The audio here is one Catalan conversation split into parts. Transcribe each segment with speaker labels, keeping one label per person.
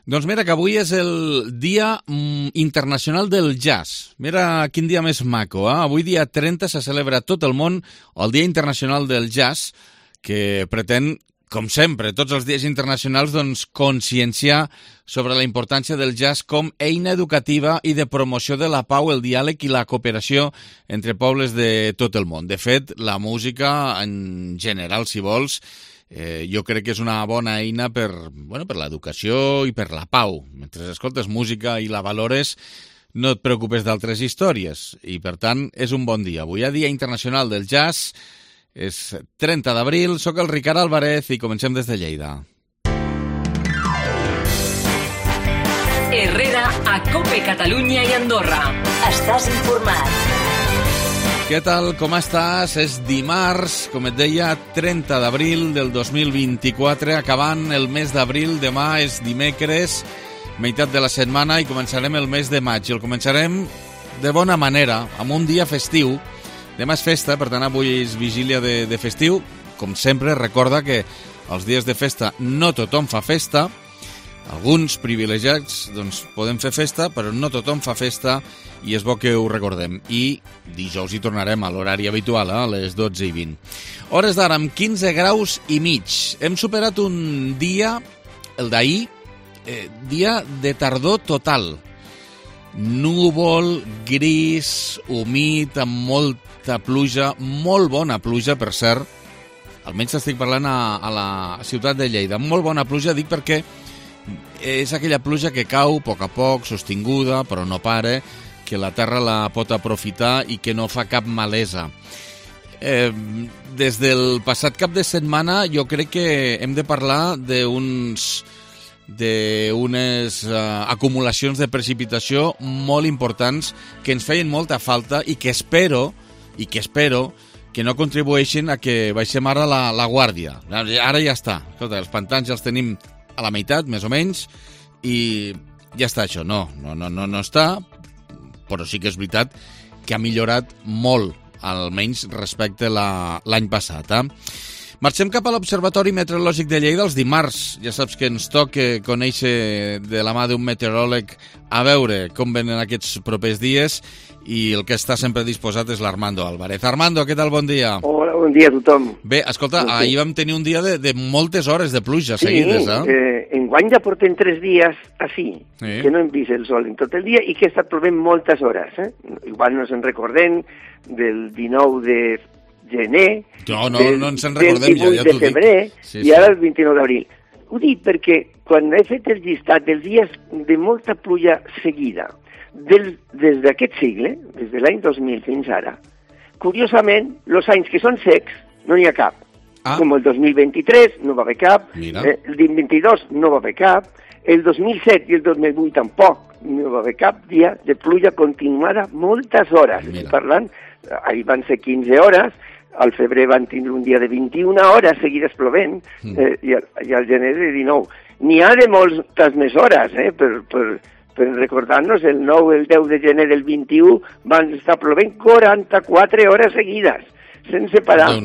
Speaker 1: Doncs mira que avui és el Dia Internacional del Jazz. Mira quin dia més maco, eh? Avui dia 30 se celebra a tot el món el Dia Internacional del Jazz, que pretén, com sempre, tots els dies internacionals, doncs, conscienciar sobre la importància del jazz com eina educativa i de promoció de la pau, el diàleg i la cooperació entre pobles de tot el món. De fet, la música, en general, si vols, jo crec que és una bona eina per l'educació i per la pau. Mentre escoltes música i la valores, no et preocupes d'altres històries. I, per tant, és un bon dia. Avui hi ha Dia Internacional del Jazz, és 30 d'abril, soc el Ricard Álvarez i comencem des de Lleida.
Speaker 2: Herrera, a COPE Catalunya i Andorra. Estàs informat.
Speaker 1: Què tal, com estàs? És dimarts, com et deia, 30 d'abril del 2024, acabant el mes d'abril. Demà és dimecres, meitat de la setmana, i començarem el mes de maig. I el començarem de bona manera, amb un dia festiu. Demà és festa, per tant avui és vigília de festiu. Com sempre, recorda que els dies de festa no tothom fa festa. Alguns privilegiats doncs, podem fer festa, però no tothom fa festa i és bo que ho recordem. I dijous hi tornarem a l'horari habitual, a les 12:20. Hores d'ara amb 15 graus i mig. Hem superat un dia, el d'ahir, dia de tardor total. Núvol, gris, humit, amb molta pluja, molt bona pluja, per cert. Almenys estic parlant a la ciutat de Lleida. Molt bona pluja, dic perquè és aquella pluja que cau a poc, sostinguda, però no para, que la terra la pot aprofitar i que no fa cap malesa. Des del passat cap de setmana jo crec que hem de parlar d'unes acumulacions de precipitació molt importants que ens feien molta falta i que espero que no contribueixin a que baixem ara la guàrdia. Ara ja està. Escolta, els pantans ja els tenim a la meitat, més o menys, i ja està això. No està, però sí que és veritat que ha millorat molt, almenys respecte a l'any passat. Marxem cap a l'Observatori Meteorològic de Lleida els dimarts. Ja saps que ens toca conèixer de la mà d'un meteoròleg a veure com venen aquests propers dies, i el que està sempre disposat és l'Armando Álvarez. Armando, què tal? Bon dia.
Speaker 3: Hola, bon dia a tothom.
Speaker 1: Bé, escolta, ahir vam tenir un dia de moltes hores de pluja seguides,
Speaker 3: enguany ja portem 3 dies així, que no hem vist el sol en tot el dia i que ha estat plovent moltes hores. Igual no se'n recordem del 19 de gener,
Speaker 1: no ens en recordem,
Speaker 3: del 18 de febrer i ara el 29 d'abril. Ho dic perquè quan he fet el llistat dels dies de molta pluja seguida, des d'aquest segle, des de l'any 2000 fins ara, curiosament, els anys que són secs no n'hi ha cap. Com el 2023 no va haver cap, el 2022 no va haver cap, el 2007 i el 2008 tampoc no va haver cap dia de pluja continuada moltes hores. Parlant, ahir van ser 15 hores, al febrer van tindre un dia de 21 hores seguides plovent, i al gener de 19. N'hi ha de moltes més hores, per recordar-nos, el 9 i el 10 de gener del 21 van estar plovent 44 hores seguides, sense parar,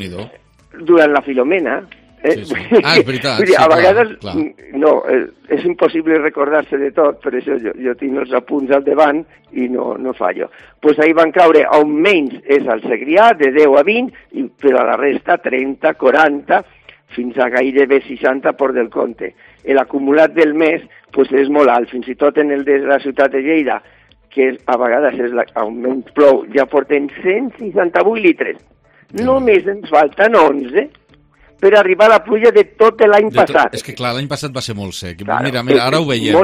Speaker 3: durant la Filomena.
Speaker 1: És veritat.
Speaker 3: A vegades, és impossible recordar-se de tot, per això jo tinc els apunts al davant i no fallo. Doncs ahir van caure, almenys és al Segrià, de 10 a 20, però a la resta 30, 40, fins a gairebé 60 Port del Comte. L'acumulat del mes és molt alt, fins i tot en el de la ciutat de Lleida, que a vegades és on menys plou, ja portem 168 litres. Només ens falten 11 per arribar a la pluja de tot l'any passat.
Speaker 1: És que clar, l'any passat va ser molt sec. Mira, ara ho veiem.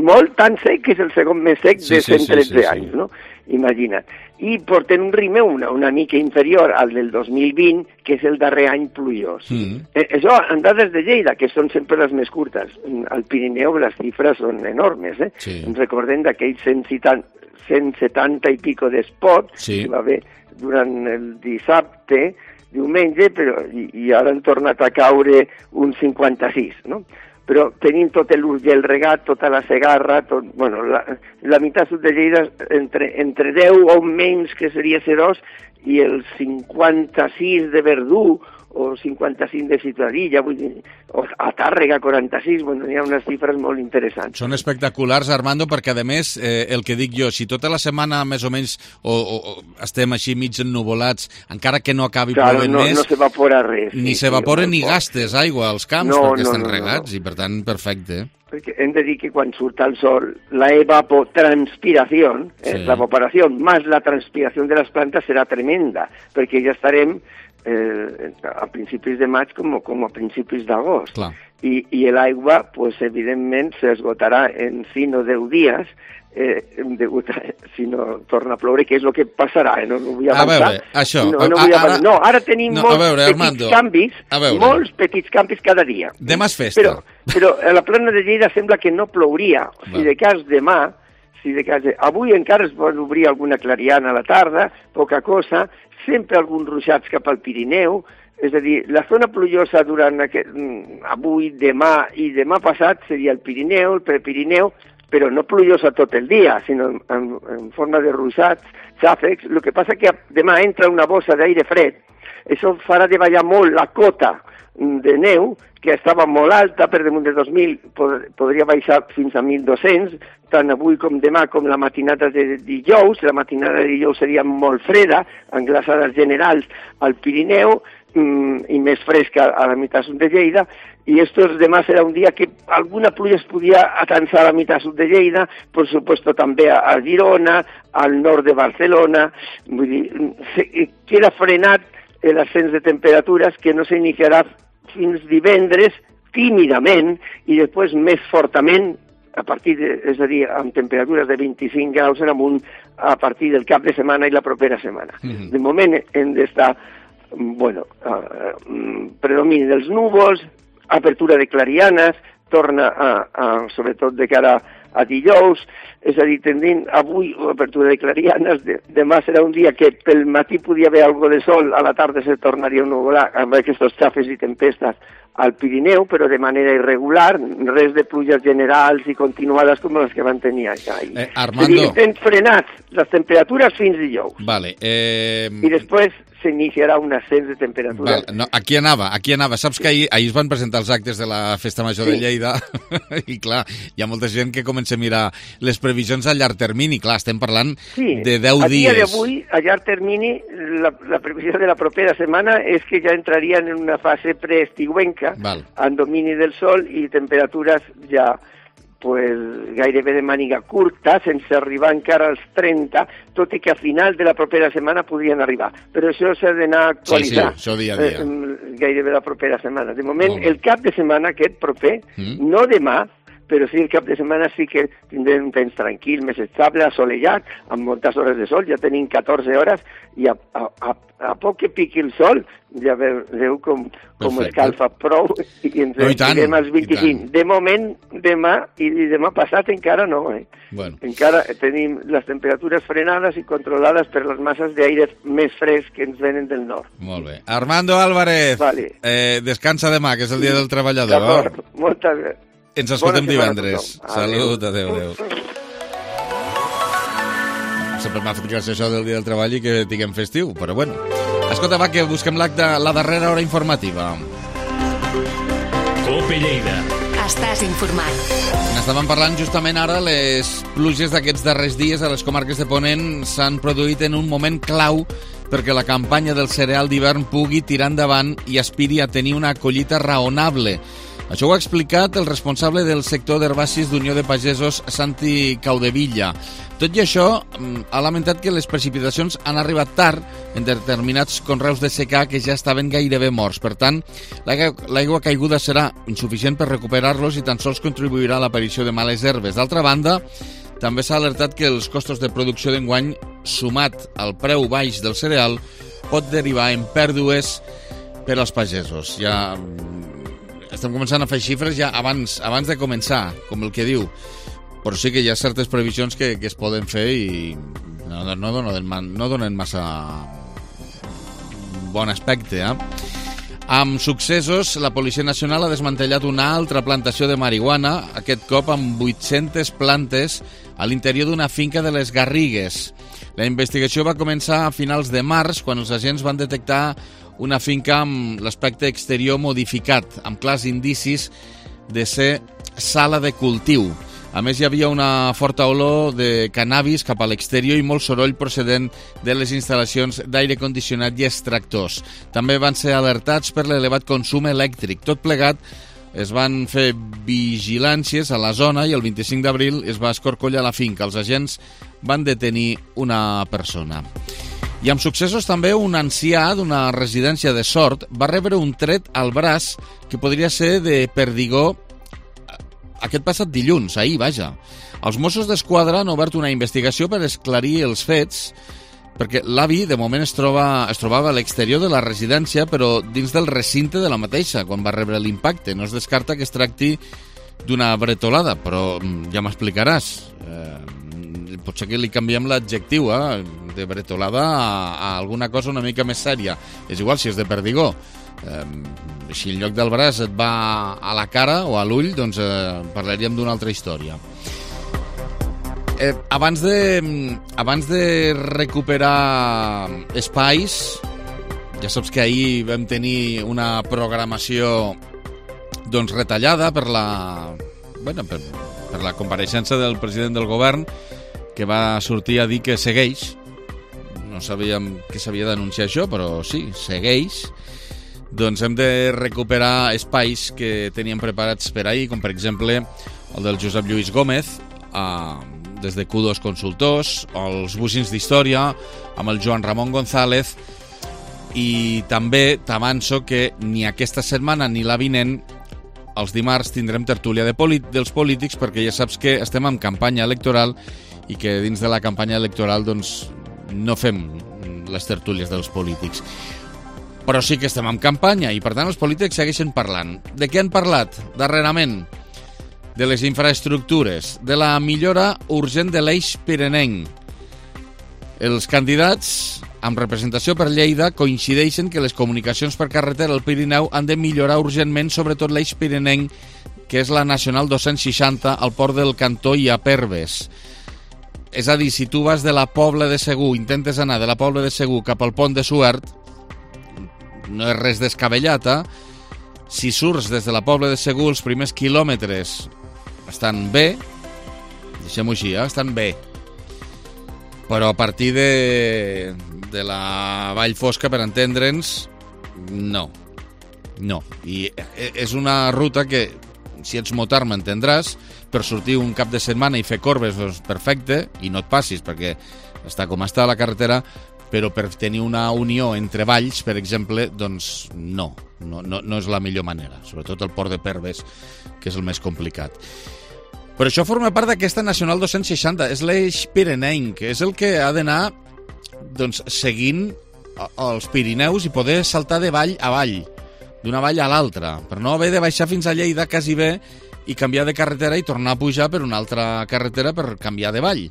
Speaker 3: Molt tan sec que és el segon més sec de 113 anys, no? Imagina't. I porten un ritme una mica inferior al del 2020, que és el darrer any plujós. Això en dades de Lleida, que són sempre les més curtes. Al Pirineu les xifres són enormes. Ens recordem d'aquells 170 i pico d'espots que va haver durant el dissabte, diumenge, i ara han tornat a caure un 56, no? Però tenim tot l'Urgell regat, tota la Segarra, la meitat sud de Lleida entre 10 o menys, que seria C2, i el 56 de Verdú o 55 de Ciutadilla, vull dir, o a Tàrrega 46, bueno, hi ha unes xifres molt interessants.
Speaker 1: Són espectaculars, Armando, perquè a més, el que dic jo, si tota la setmana més o menys o estem així mig ennuvolats, encara que no acabi plovent més...
Speaker 3: No s'evapora res.
Speaker 1: Ni s'evapora ni gastes aigua als camps, perquè estan regats, i per tant, perfecte.
Speaker 3: Perquè hem de dir que quan surt el sol, la evapotranspiració, l'evaporació més la transpiració de les plantes serà tremenda, perquè ja estarem a principis de maig com a principis d'agost. I l'aigua, pues, evidentment, s'esgotarà en 5 o 10 dies, si no torna a ploure, que és el que passarà, no vull avançar.
Speaker 1: A veure, això...
Speaker 3: Ara tenim molts petits canvis cada dia.
Speaker 1: Demà és festa.
Speaker 3: Però a la plana de Lleida sembla que no plouria. Si de cas demà, avui encara es pot obrir alguna clariana a la tarda, poca cosa, sempre alguns ruixats cap al Pirineu, és a dir, la zona plujosa durant avui, demà i demà passat seria el Pirineu, el Prepirineu, però no plujosa tot el dia, sinó en forma de ruixats, xàfecs. El que passa que demà entra una bossa d'aire fred, això farà de ballar molt la cota de neu, que estava molt alta, per damunt de 2.000, podria baixar fins a 1.200, tant avui com demà, com la matinada de dijous. La matinada de dijous seria molt freda, amb glaçades generals al Pirineu, i més fresca a la meitat sud de Lleida, i demà serà un dia que alguna pluja es podia atansar a la meitat sud de Lleida, per supuesto també a Girona, al nord de Barcelona. Vull dir, queda frenat l'ascens de temperatures, que no s'iniciarà fins divendres, tímidament, i després més fortament, és a dir, amb temperatures de 25 graus en amunt, a partir del cap de setmana i la propera setmana. De moment hem d'estar, predomini dels núvols, apertura de clarianes, torna sobretot de cara a dijous, és a dir, tendint avui apertura de clarianes, demà serà un dia que pel matí podia haver algo de sol, a la tarda se tornaria a nuvolar amb aquests xafes i tempestes al Pirineu, però de manera irregular, res de pluges generals i continuades com les que van tenir allà.
Speaker 1: Armando...
Speaker 3: Hem frenat les temperatures fins dijous.
Speaker 1: Vale.
Speaker 3: I després s'iniciarà un ascens de temperatura.
Speaker 1: Aquí anava. Saps que ahir es van presentar els actes de la Festa Major de Lleida i, clar, hi ha molta gent que comença a mirar les previsions a llarg termini. Clar, estem parlant de 10 dies.
Speaker 3: A dia d'avui, a llarg termini, la previsió de la propera setmana és que ja entrarien en una fase preestiuenca, en domini del sol i temperatures ja gairebé de màniga curta, sense arribar encara als 30, tot i que a final de la propera setmana podrien arribar. Però això s'ha d'anar a actualitzar.
Speaker 1: Sí, això dia a dia.
Speaker 3: Gairebé la propera setmana. De moment, el cap de setmana aquest proper, no demà, però sí el cap de setmana sí que tindrem un temps tranquil, més estable, assolellat, amb moltes hores de sol. Ja tenim 14 hores i a poc que piqui el sol ja veu com escalfa prou i ens anirem als 25. De moment, demà i demà passat encara no. Encara tenim les temperatures frenades i controlades per les masses d'aire més fresc que ens venen del nord.
Speaker 1: Molt bé. Armando Álvarez, descansa demà, que és el dia del treballador.
Speaker 3: D'acord, moltes gràcies.
Speaker 1: Ens escoltem divendres. Salut, adéu. Sempre m'ha fet gràcia això del dia del treball i que tinguem festiu, però bueno. Escolta, va, que busquem la darrera hora informativa.
Speaker 2: COPE Lleida. Estàs informat.
Speaker 1: N'estàvem parlant justament ara. Les pluges d'aquests darrers dies a les comarques de Ponent s'han produït en un moment clau perquè la campanya del cereal d'hivern pugui tirar endavant i aspiri a tenir una collita raonable. Això ho ha explicat el responsable del sector d'herbacis d'Unió de Pagesos, Santi Caudevilla. Tot i això, ha lamentat que les precipitacions han arribat tard en determinats conreus de secà que ja estaven gairebé morts. Per tant, l'aigua caiguda serà insuficient per recuperar-los i tan sols contribuirà a l'aparició de males herbes. D'altra banda, també s'ha alertat que els costos de producció d'enguany, sumat al preu baix del cereal, pot derivar en pèrdues per als pagesos. Ja estem començant a fer xifres ja abans de començar, com el que diu. Però sí que hi ha certes previsions que es poden fer i no donen massa bon aspecte. Amb successos, la Policia Nacional ha desmantellat una altra plantació de marihuana, aquest cop amb 800 plantes a l'interior d'una finca de les Garrigues. La investigació va començar a finals de març, quan els agents van detectar una finca amb l'aspecte exterior modificat, amb clars indicis de ser sala de cultiu. A més, hi havia una forta olor de cannabis cap a l'exterior i molt soroll procedent de les instal·lacions d'aire condicionat i extractors. També van ser alertats per l'elevat consum elèctric. Tot plegat, es van fer vigilàncies a la zona i el 25 d'abril es va escorcollar la finca. Els agents van detenir una persona. I amb successos també un ancià d'una residència de Sort va rebre un tret al braç que podria ser de perdigó aquest passat dilluns, ahir, vaja. Els Mossos d'Esquadra han obert una investigació per esclarir els fets, perquè l'avi, de moment, es trobava a l'exterior de la residència, però dins del recinte de la mateixa, quan va rebre l'impacte. No es descarta que es tracti d'una bretolada, però ja m'explicaràs. Potser que li canviem l'adjectiu, de bretolada a alguna cosa una mica més sèria. És igual si és de perdigó. Si en lloc del braç et va a la cara o a l'ull, doncs parlaríem d'una altra història. Abans de recuperar espais, ja saps que ahir vam tenir una programació doncs retallada per la compareixença del president del govern, que va sortir a dir que segueix. No sabíem que s'havia d'anunciar això, però sí, segueix. Doncs hem de recuperar espais que teníem preparats per ahir, com per exemple el del Josep Lluís Gómez, des de Q2 Consultors, o els Bucins d'Història, amb el Joan Ramon González, i també t'avanço que ni aquesta setmana ni la vinent, els dimarts, tindrem tertúlia dels polítics, perquè ja saps que estem en campanya electoral i que dins de la campanya electoral doncs, no fem les tertúlies dels polítics. Però sí que estem en campanya i, per tant, els polítics segueixen parlant. De què han parlat darrerament? De les infraestructures, de la millora urgent de l'eix pirenenc. Els candidats, amb representació per Lleida, coincideixen que les comunicacions per carretera al Pirineu han de millorar urgentment, sobretot l'eix pirenenc, que és la Nacional 260, al port del Cantó i a Perves. És a dir, si tu vas de la Pobla de Segur, intentes anar de la Pobla de Segur cap al Pont de Suert, no és res descabellat, Si surts des de la Pobla de Segur, els primers quilòmetres estan bé, deixem-ho així, estan bé. Però a partir de la Vall Fosca, per entendre'ns, no. I és una ruta que, si ets motard, m'entendràs, per sortir un cap de setmana i fer corbes, doncs perfecte, i no et passis, perquè està com està la carretera, però per tenir una unió entre valls, per exemple, doncs no és la millor manera, sobretot el port de Perves, que és el més complicat. Però això forma part d'aquesta Nacional 260, és l'eix pirenenc, és el que ha d'anar doncs, seguint els Pirineus i poder saltar de vall a vall, d'una vall a l'altra, per no haver de baixar fins a Lleida quasi bé i canviar de carretera i tornar a pujar per una altra carretera per canviar de vall.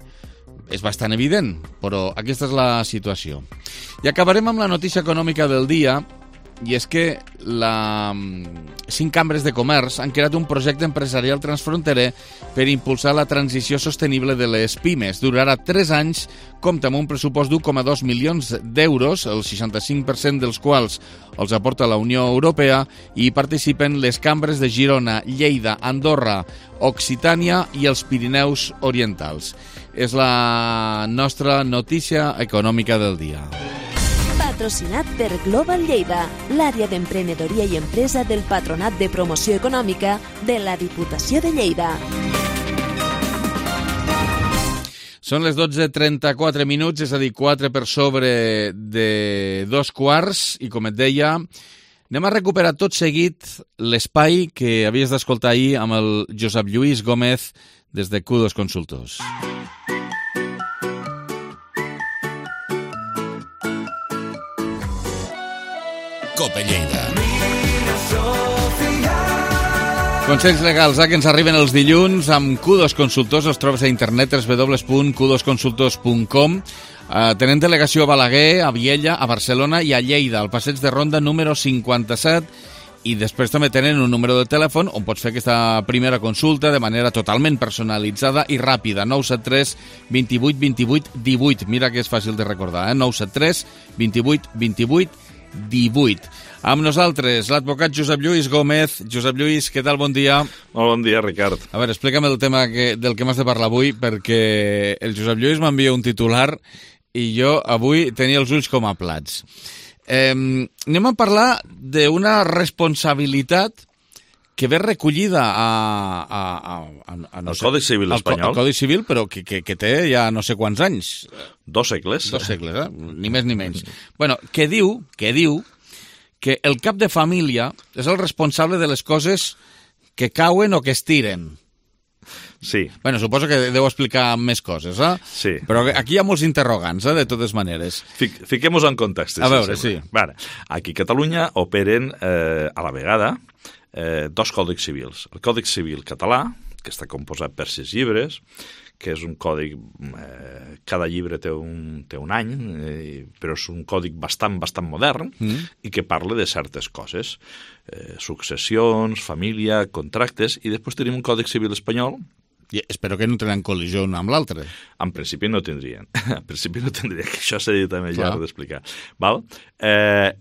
Speaker 1: És bastant evident, però aquesta és la situació. I acabarem amb la notícia econòmica del dia, i és que 5 cambres de comerç han creat un projecte empresarial transfronterer per impulsar la transició sostenible de les pimes. Durarà 3 anys, compta amb un pressupost d'1,2 milions d'euros, el 65% dels quals els aporta la Unió Europea, i hi participen les cambres de Girona, Lleida, Andorra, Occitània i els Pirineus Orientals. És la nostra notícia econòmica del dia.
Speaker 4: Patrocinat per Global Lleida, l'àrea d'emprenedoria i empresa del Patronat de Promoció Econòmica de la Diputació de Lleida.
Speaker 1: Són les 12:34 minuts, és a dir, 4 per sobre de 2:15, i com et deia, anem a recuperar tot seguit l'espai que havies d'escoltar ahir amb el Josep Lluís Gómez des de Q2 Consultors. Cope Lleida. Consells legals, que ens arriben els dilluns amb Q2 Consultors. Els trobes a internet www.q2consultors.com. Tenen delegació a Balaguer, a Viella, a Barcelona i a Lleida, al passeig de Ronda número 57. I després també tenen un número de telèfon on pots fer aquesta primera consulta de manera totalment personalitzada i ràpida. 973 28 28 18. Mira que és fàcil de recordar, 973 28 28 18. 18. Amb nosaltres, l'advocat Josep Lluís Gómez. Josep Lluís, què tal? Bon dia.
Speaker 5: Molt bon dia, Ricard.
Speaker 1: A veure, explica'm el tema del que m'has de parlar avui, perquè el Josep Lluís m'envia un titular i jo avui tenia els ulls com a plats. Anem a parlar d'una responsabilitat que ve recollida
Speaker 5: al Codi Civil espanyol.
Speaker 1: Al Codi Civil, però que té ja no sé quants anys.
Speaker 5: 2 segles.
Speaker 1: 2 segles, ni més ni menys. Bueno, que diu que el cap de família és el responsable de les coses que cauen o que es tiren.
Speaker 5: Sí.
Speaker 1: Bueno, suposo que deu explicar més coses, eh?
Speaker 5: Sí.
Speaker 1: Però aquí hi ha molts interrogants, de totes maneres.
Speaker 5: Fiquem-nos en context.
Speaker 1: A veure, sí.
Speaker 5: Vale. Aquí a Catalunya operen a la vegada 2 còdics civils. El Còdic Civil català, que està composat per 6 llibres, que és un còdic, cada llibre té un any, però és un còdic bastant modern i que parla de certes coses, successions, família, contractes, i després tenim un Còdic Civil espanyol.
Speaker 1: I espero que no tenen col·lisió un amb l'altre.
Speaker 5: En principi no tindrien. En principi no tindrien, que això seria també llarg d'explicar. Val?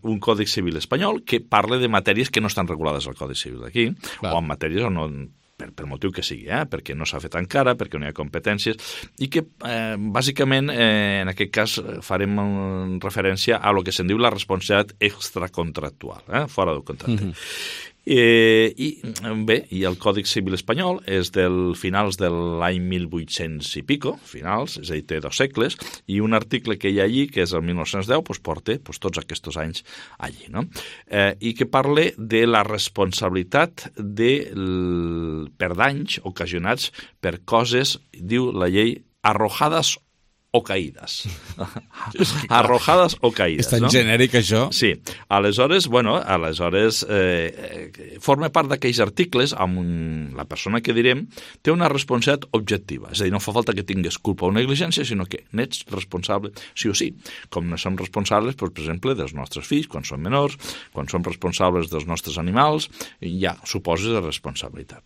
Speaker 5: Un Còdic Civil espanyol que parla de matèries que no estan regulades al Codi Civil d'aquí, o en matèries on no... per motiu que sigui, perquè no s'ha fet encara, perquè no hi ha competències, i que, bàsicament, en aquest cas, farem referència a lo que se'n diu la responsabilitat extracontractual, fora del contracte. I el Còdic Civil espanyol és del finals de l'any 1800 i pico, finals, és a dir, té 2 segles, i un article que hi ha allí, que és el 1910, porta tots aquests anys allí, no? I que parla de la responsabilitat per danys ocasionats per coses, diu la llei, arrojades o caïdes. Arrojades o caïdes.
Speaker 1: És tan genèric, això?
Speaker 5: Sí. Aleshores, forma part d'aquells articles amb la persona que direm té una responsabilitat objectiva. És a dir, no fa falta que tingués culpa o negligència, sinó que n'ets responsable sí o sí. Com no som responsables, per exemple, dels nostres fills, quan són menors, quan som responsables dels nostres animals, ja suposes de responsabilitat.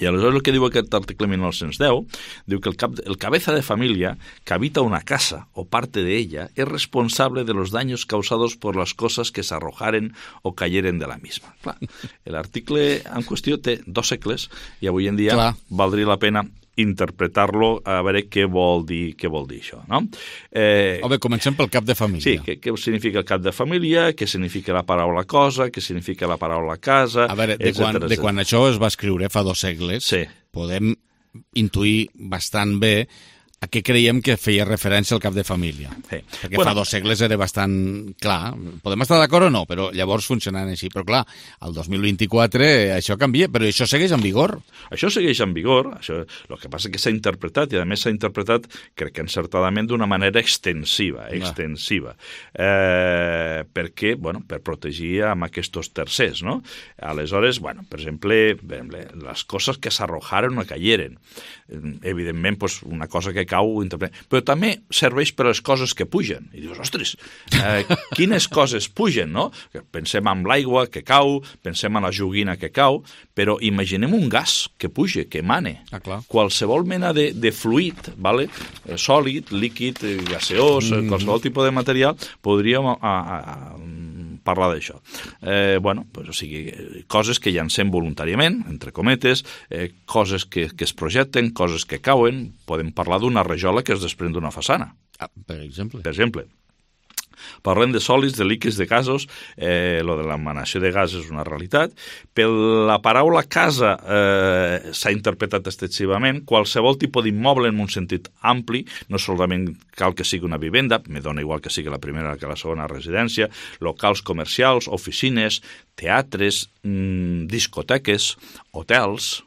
Speaker 5: I aleshores el que diu aquest article 1910 diu que el cabeza de familia que habita una casa o parte de ella es responsable de los daños causados por las cosas que se arrojaren o cayeren de la misma. Clar, l'article en qüestió té 2 segles i avui en dia valdria la pena interpretar-lo a veure què vol dir això, no?
Speaker 1: Home, comencem pel cap de família.
Speaker 5: Sí, què significa el cap de família, què significa la paraula cosa, què significa la paraula casa...
Speaker 1: A veure, de quan això es va escriure fa 2 segles, podem intuir bastant bé a què creiem que feia referència al cap de família. Sí. Perquè fa 2 segles era bastant clar. Podem estar d'acord o no, però llavors funcionant així. Però clar, al 2024 això canvia, però això segueix en vigor.
Speaker 5: Això segueix en vigor. El que passa és que s'ha interpretat, i a més s'ha interpretat, crec que encertadament, d'una manera extensiva. Perquè, per protegir amb aquests tercers, no? Aleshores, per exemple, les coses que s'arrojaren o cayeren. Evidentment, una cosa que cau, però també serveix per a les coses que pugen. I dius, ostres, quines coses pugen, no? Pensem en l'aigua que cau, pensem en la joguina que cau, però imaginem un gas que puja, que emane. Qualsevol mena de fluid, sòlid, líquid, gaseós, qualsevol tipus de material, podríem parlar d'això. O sigui, coses que llancem voluntàriament, entre cometes, coses que es projecten, coses que cauen, podem parlar d'una rajola que es desprèn d'una façana.
Speaker 1: Per exemple.
Speaker 5: Parlem de sòlids, de líquids, de gasos, lo de l'emanació de gas és una realitat. Per la paraula casa s'ha interpretat extensivament. Qualsevol tipus d'immoble en un sentit ampli, no solament cal que sigui una vivenda, me dona igual que sigui la primera que la segona residència, locals comercials, oficines, teatres, discoteques, hotels,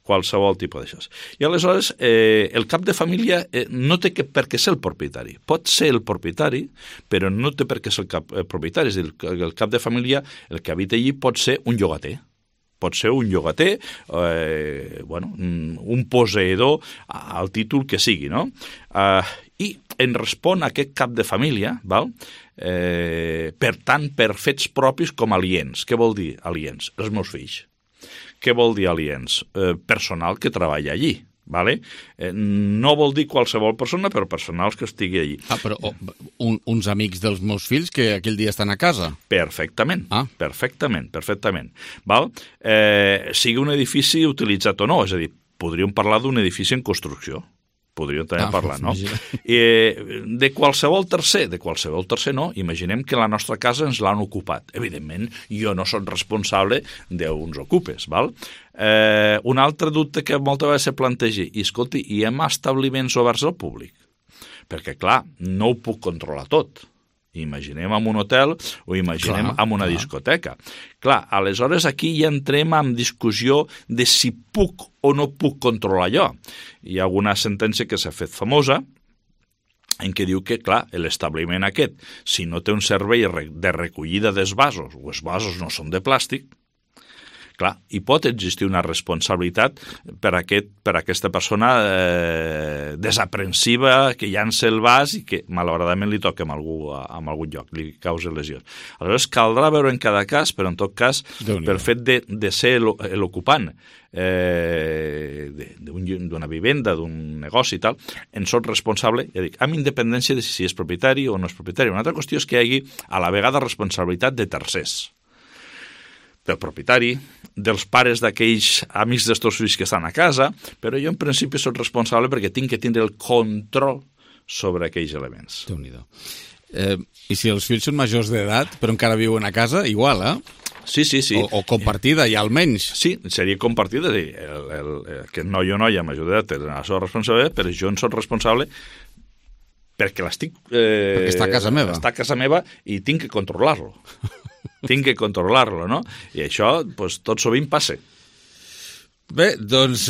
Speaker 5: qualsevol tipus d'això. I aleshores el cap de família no té per què ser el propietari. Pot ser el propietari, però no té per què ser el propietari. És a dir, el cap de família, el que habita allí, pot ser un llogater. Pot ser un llogater, un posseïdor, al títol que sigui, no? I en respon a aquest cap de família, per tant, per fets propis com aliens. Què vol dir aliens? Els meus fills. Què vol dir aliens? Personal que treballa allí. Vale? No vol dir qualsevol persona, però personals que estigui allí.
Speaker 1: Però uns amics dels meus fills que aquell dia estan a casa.
Speaker 5: Perfectament, perfectament. Val? Sigui un edifici utilitzat o no, és a dir, podríem parlar d'un edifici en construcció. Podríem també parlar, no? De qualsevol tercer no. Imaginem que la nostra casa ens l'han ocupat. Evidentment, jo no soc responsable d'uns ocupes, val? Un altre dubte que moltes vegades se planteja, i escolti, hi ha establiments oberts al públic? Perquè, clar, no ho puc controlar tot. Imaginem en un hotel o imaginem en una discoteca. Clar, aleshores aquí ja entrem en discussió de si puc o no puc controlar allò. Hi ha alguna sentència que s'ha fet famosa en què diu que, clar, l'establiment aquest, si no té un servei de recollida dels vasos, o els vasos no són de plàstic, clar, hi pot existir una responsabilitat per aquesta persona desaprensiva que llança el vas i que malauradament li toca en algun lloc, li causa lesions. Aleshores caldrà veure en cada cas, però en tot cas, pel fet de ser l'ocupant d'una vivenda, d'un negoci i tal, en soc responsable, ja dic, amb independència de si és propietari o no és propietari. Una altra qüestió és que hi hagi a la vegada responsabilitat de tercers, del propietari, dels pares d'aquells amics dels teus fills que estan a casa, però jo en principi soc responsable perquè tinc que tindre el control sobre aquells elements.
Speaker 1: Déu-n'hi-do. I si els fills són majors d'edat, però encara viuen a casa, igual,
Speaker 5: Sí.
Speaker 1: O compartida, ja almenys.
Speaker 5: Sí, seria compartida. Aquest noi o noia major d'edat té la seva responsabilitat, però jo en soc responsable perquè l'estic...
Speaker 1: perquè està a casa meva.
Speaker 5: Està a casa meva i tinc que controlar-lo. Tinc que controlar-lo, no? I això, doncs, tot sovint passa.
Speaker 1: Bé, doncs,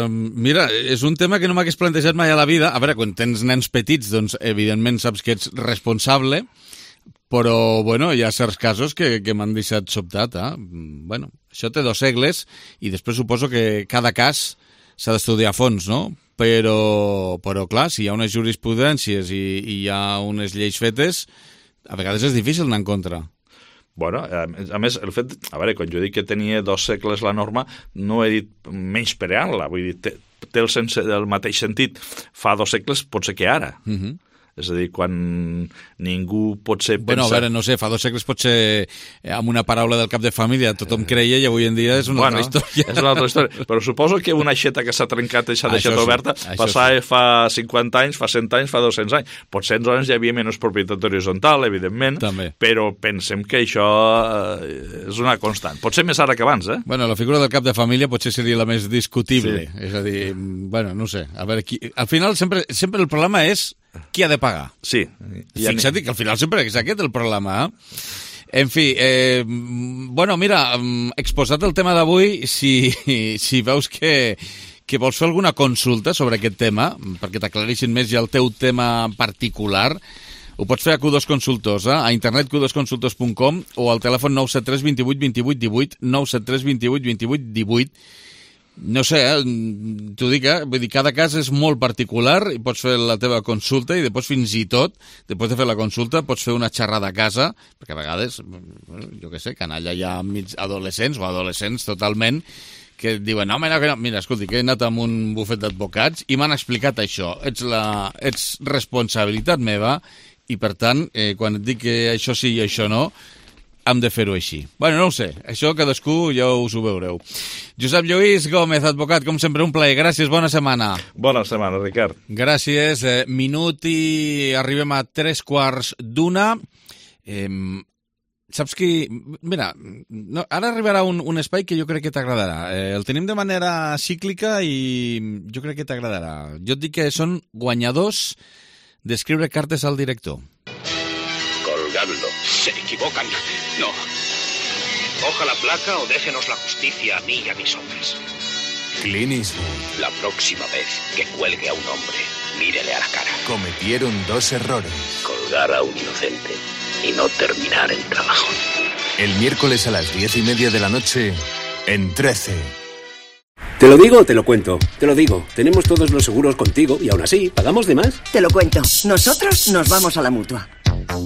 Speaker 1: mira, és un tema que no m'hagués plantejat mai a la vida. A veure, quan tens nens petits, doncs, evidentment saps que ets responsable, però, bueno, hi ha certs casos que m'han deixat sobtat, Bueno, això té 2 segles i després suposo que cada cas s'ha d'estudiar a fons, no? Però clar, si hi ha unes jurisprudències i hi ha unes lleis fetes, a vegades és difícil anar en contra.
Speaker 5: Bueno, a més, el fet... A veure, quan jo dic que tenia 2 segles la norma, no he dit menyspreant-la. Vull dir, té el mateix sentit fa 2 segles, pot ser que ara. És a dir, quan ningú potser pensa...
Speaker 1: Bueno, a veure, no sé, fa 2 segles potser amb una paraula del cap de família tothom creia i avui en dia és una altra història.
Speaker 5: És una altra història, però suposo que una aixeta que s'ha trencat i s'ha deixat oberta passava fa 50 anys, fa 100 anys, fa 200 anys. Potser entonces hi havia menys propietat horitzontal, evidentment,
Speaker 1: també.
Speaker 5: Però pensem que això és una constant. Potser més ara que abans,
Speaker 1: Bueno, la figura del cap de família potser seria la més discutible. Sí. És a dir, bueno, no sé. A veure, al final sempre el problema és qui ha de pagar.
Speaker 5: Sí.
Speaker 1: Fixa't que al final sempre és aquest el problema, En fi, bueno, mira, exposat el tema d'avui, si veus que vols fer alguna consulta sobre aquest tema, perquè t'aclareixin més ja el teu tema particular, ho pots fer a Q2 Consultors, a internet q2consultors.com o al telèfon 973 28 28 18, 973 28 28 18. No sé, t'ho dic, vull dir, cada cas és molt particular i pots fer la teva consulta i després fins i tot, després de fer la consulta, pots fer una xerrada a casa, perquè a vegades, jo què sé, canalla hi ha adolescents o adolescents totalment que et diuen, no, mira, escolti, que he anat amb un bufet d'advocats i m'han explicat això, ets responsabilitat meva i per tant, quan et dic que això sí i això no, hem de fer-ho així. Bueno, no ho sé, això cadascú ja us ho veureu. Josep Lluís Gómez, advocat, com sempre un plaer. Gràcies, bona setmana.
Speaker 5: Bona setmana, Ricard.
Speaker 1: Gràcies. Minut i arribem a 3:15. Saps qui... Mira, ara arribarà un espai que jo crec que t'agradarà. El tenim de manera cíclica i jo crec que t'agradarà. Jo et dic que són guanyadors d'escriure cartes al director.
Speaker 6: Colgadlo. Se equivocan. No. Coja la placa o déjenos la justicia a mí y a mis hombres.
Speaker 7: Clint Eastwood.
Speaker 6: La próxima vez que cuelgue a un hombre, mírele a la cara.
Speaker 7: Cometieron 2 errores.
Speaker 6: Colgar a un inocente y no terminar el trabajo.
Speaker 7: El miércoles a las 10:30 de la noche, en 13.
Speaker 8: ¿Te lo digo o te lo cuento? Te lo digo. Tenemos todos los seguros contigo y aún así, ¿pagamos de más?
Speaker 9: Te lo cuento. Nosotros nos vamos a la Mutua.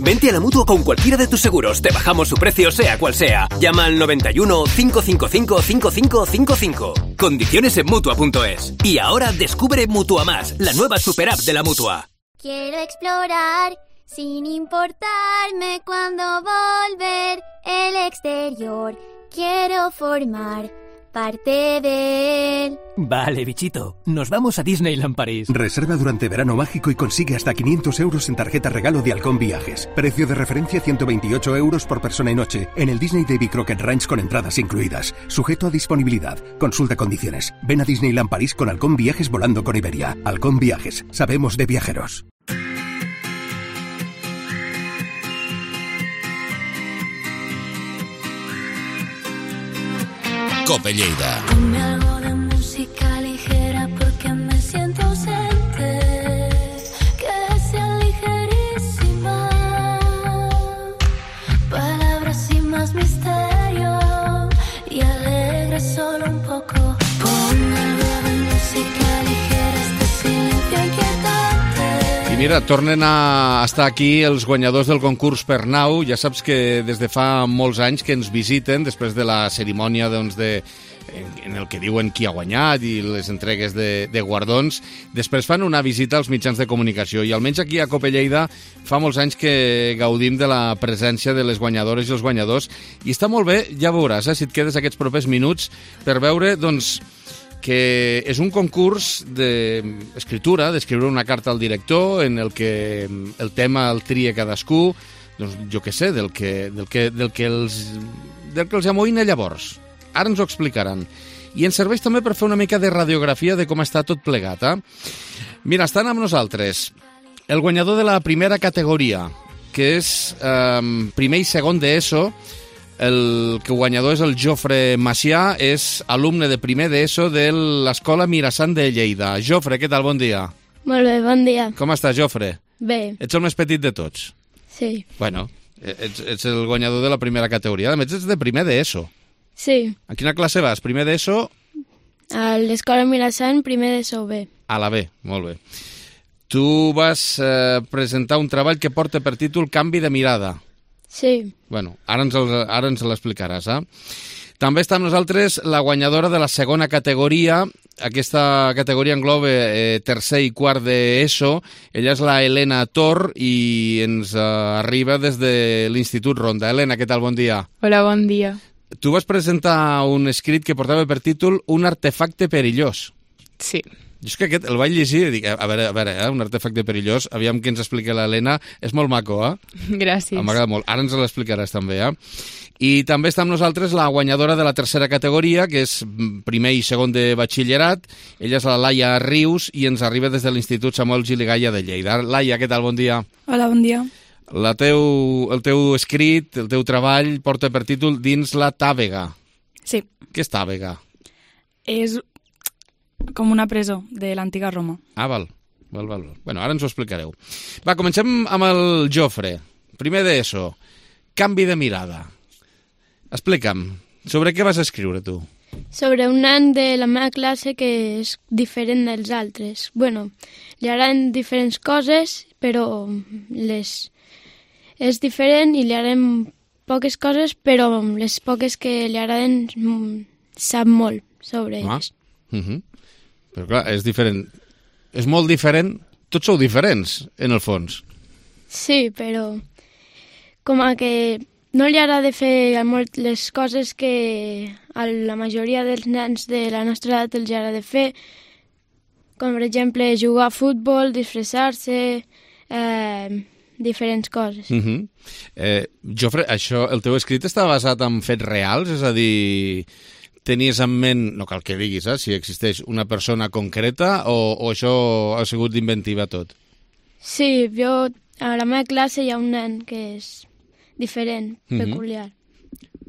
Speaker 8: Vente a la Mutua con cualquiera de tus seguros. Te bajamos su precio sea cual sea. Llama al 91 555 5555. Condiciones en Mutua.es. Y ahora descubre Mutua Más, la nueva super app de la Mutua.
Speaker 9: Quiero explorar sin importarme cuándo volver el exterior. Quiero formar parte de él.
Speaker 10: Vale, bichito. Nos vamos a Disneyland París.
Speaker 11: Reserva durante verano mágico y consigue hasta 500 euros en tarjeta regalo de Halcón Viajes. Precio de referencia 128 euros por persona y noche en el Disney Davy Crockett Ranch con entradas incluidas. Sujeto a disponibilidad. Consulta condiciones. Ven a Disneyland París con Halcón Viajes volando con Iberia. Halcón Viajes. Sabemos de viajeros.
Speaker 12: Cope Lleida.
Speaker 13: Ponme algo de música ligera porque me siento ausente. Que sea ligerísima. Palabras sin más misterio y alegre solo un poco. Ponme algo de música ligera, este silencio inquietante.
Speaker 1: I mira, tornen a estar aquí els guanyadors del concurs Pernau. Ja saps que des de fa molts anys que ens visiten, després de la cerimònia doncs, en el que diuen qui ha guanyat i les entregues de guardons, després fan una visita als mitjans de comunicació i almenys aquí a Cope Lleida fa molts anys que gaudim de la presència de les guanyadores i els guanyadors i està molt bé, ja veuràs, si et quedes aquests propers minuts per veure doncs, que és un concurs d'escriptura, d'escriure una carta al director en el que el tema el tria cadascú, doncs jo què sé, del que els amoïna llavors. Ara ens ho explicaran. I ens serveix també per fer una mica de radiografia de com està tot plegat. Mira, estan amb nosaltres el guanyador de la primera categoria, que és primer i segon d'ESO. El guanyador és el Jofre Macià, és alumne de primer d'ESO de l'Escola Mirasant de Lleida. Jofre, què tal? Bon dia.
Speaker 14: Molt bé, bon dia.
Speaker 1: Com estàs, Jofre?
Speaker 14: Bé.
Speaker 1: Ets el més petit de tots?
Speaker 14: Sí.
Speaker 1: Bueno, ets el guanyador de la primera categoria. A més, ets de primer d'ESO.
Speaker 14: Sí.
Speaker 1: A quina classe vas? Primer d'ESO?
Speaker 14: A l'Escola Mirasant, primer d'ESO B.
Speaker 1: A la B, molt bé. Tu vas presentar un treball que porta per títol Canvi de mirada.
Speaker 14: Sí.
Speaker 1: Bueno, ara ens l'explicaràs, També està amb nosaltres la guanyadora de la segona categoria. Aquesta categoria engloba tercer i quart d'ESO. Ella és la Helena Tor i ens arriba des de l'Institut Ronda. Helena, què tal? Bon dia.
Speaker 15: Hola, bon dia.
Speaker 1: Tu vas presentar un escrit que portava per títol Un artefacte perillós.
Speaker 15: Sí.
Speaker 1: Jo és que aquest el vaig llegir i dic, a veure, un artefacte perillós, aviam que ens explica l'Helena, és molt maco,
Speaker 15: Gràcies.
Speaker 1: M'agrada molt, ara ens l'explicaràs també, I també està amb nosaltres la guanyadora de la tercera categoria, que és primer i segon de batxillerat, ella és la Laia Rius i ens arriba des de l'Institut Samuel Giligalla de Lleida. Laia, què tal? Bon dia.
Speaker 16: Hola, bon dia.
Speaker 1: El teu escrit, el teu treball, porta per títol Dins la Tàvega.
Speaker 16: Sí.
Speaker 1: Què és Tàvega?
Speaker 16: És com una presó de l'antiga Roma.
Speaker 1: Val. Bueno, ara ens ho explicareu. Va, comencem amb el Jofre. Primer d'ESO. Canvi de mirada. Explica'm, sobre què vas escriure tu?
Speaker 14: Sobre un nen de la meva classe que és diferent dels altres. Bueno, li agraden diferents coses, però és diferent i li agraden poques coses, però les poques que li agraden sap molt sobre elles.
Speaker 1: Però clar, és diferent. És molt diferent. Tots sou diferents, en el fons.
Speaker 14: Sí, però com a que no li agrada fer molt les coses que a la majoria dels nens de la nostra edat els agrada fer, com per exemple jugar a futbol, disfressar-se, diferents coses.
Speaker 1: Jofre, això, el teu escrit està basat en fets reals? És a dir, tenies en ment, no cal que diguis, si existeix una persona concreta o això ha sigut d'inventiva tot?
Speaker 14: Sí, a la meva classe hi ha un nen que és diferent, peculiar.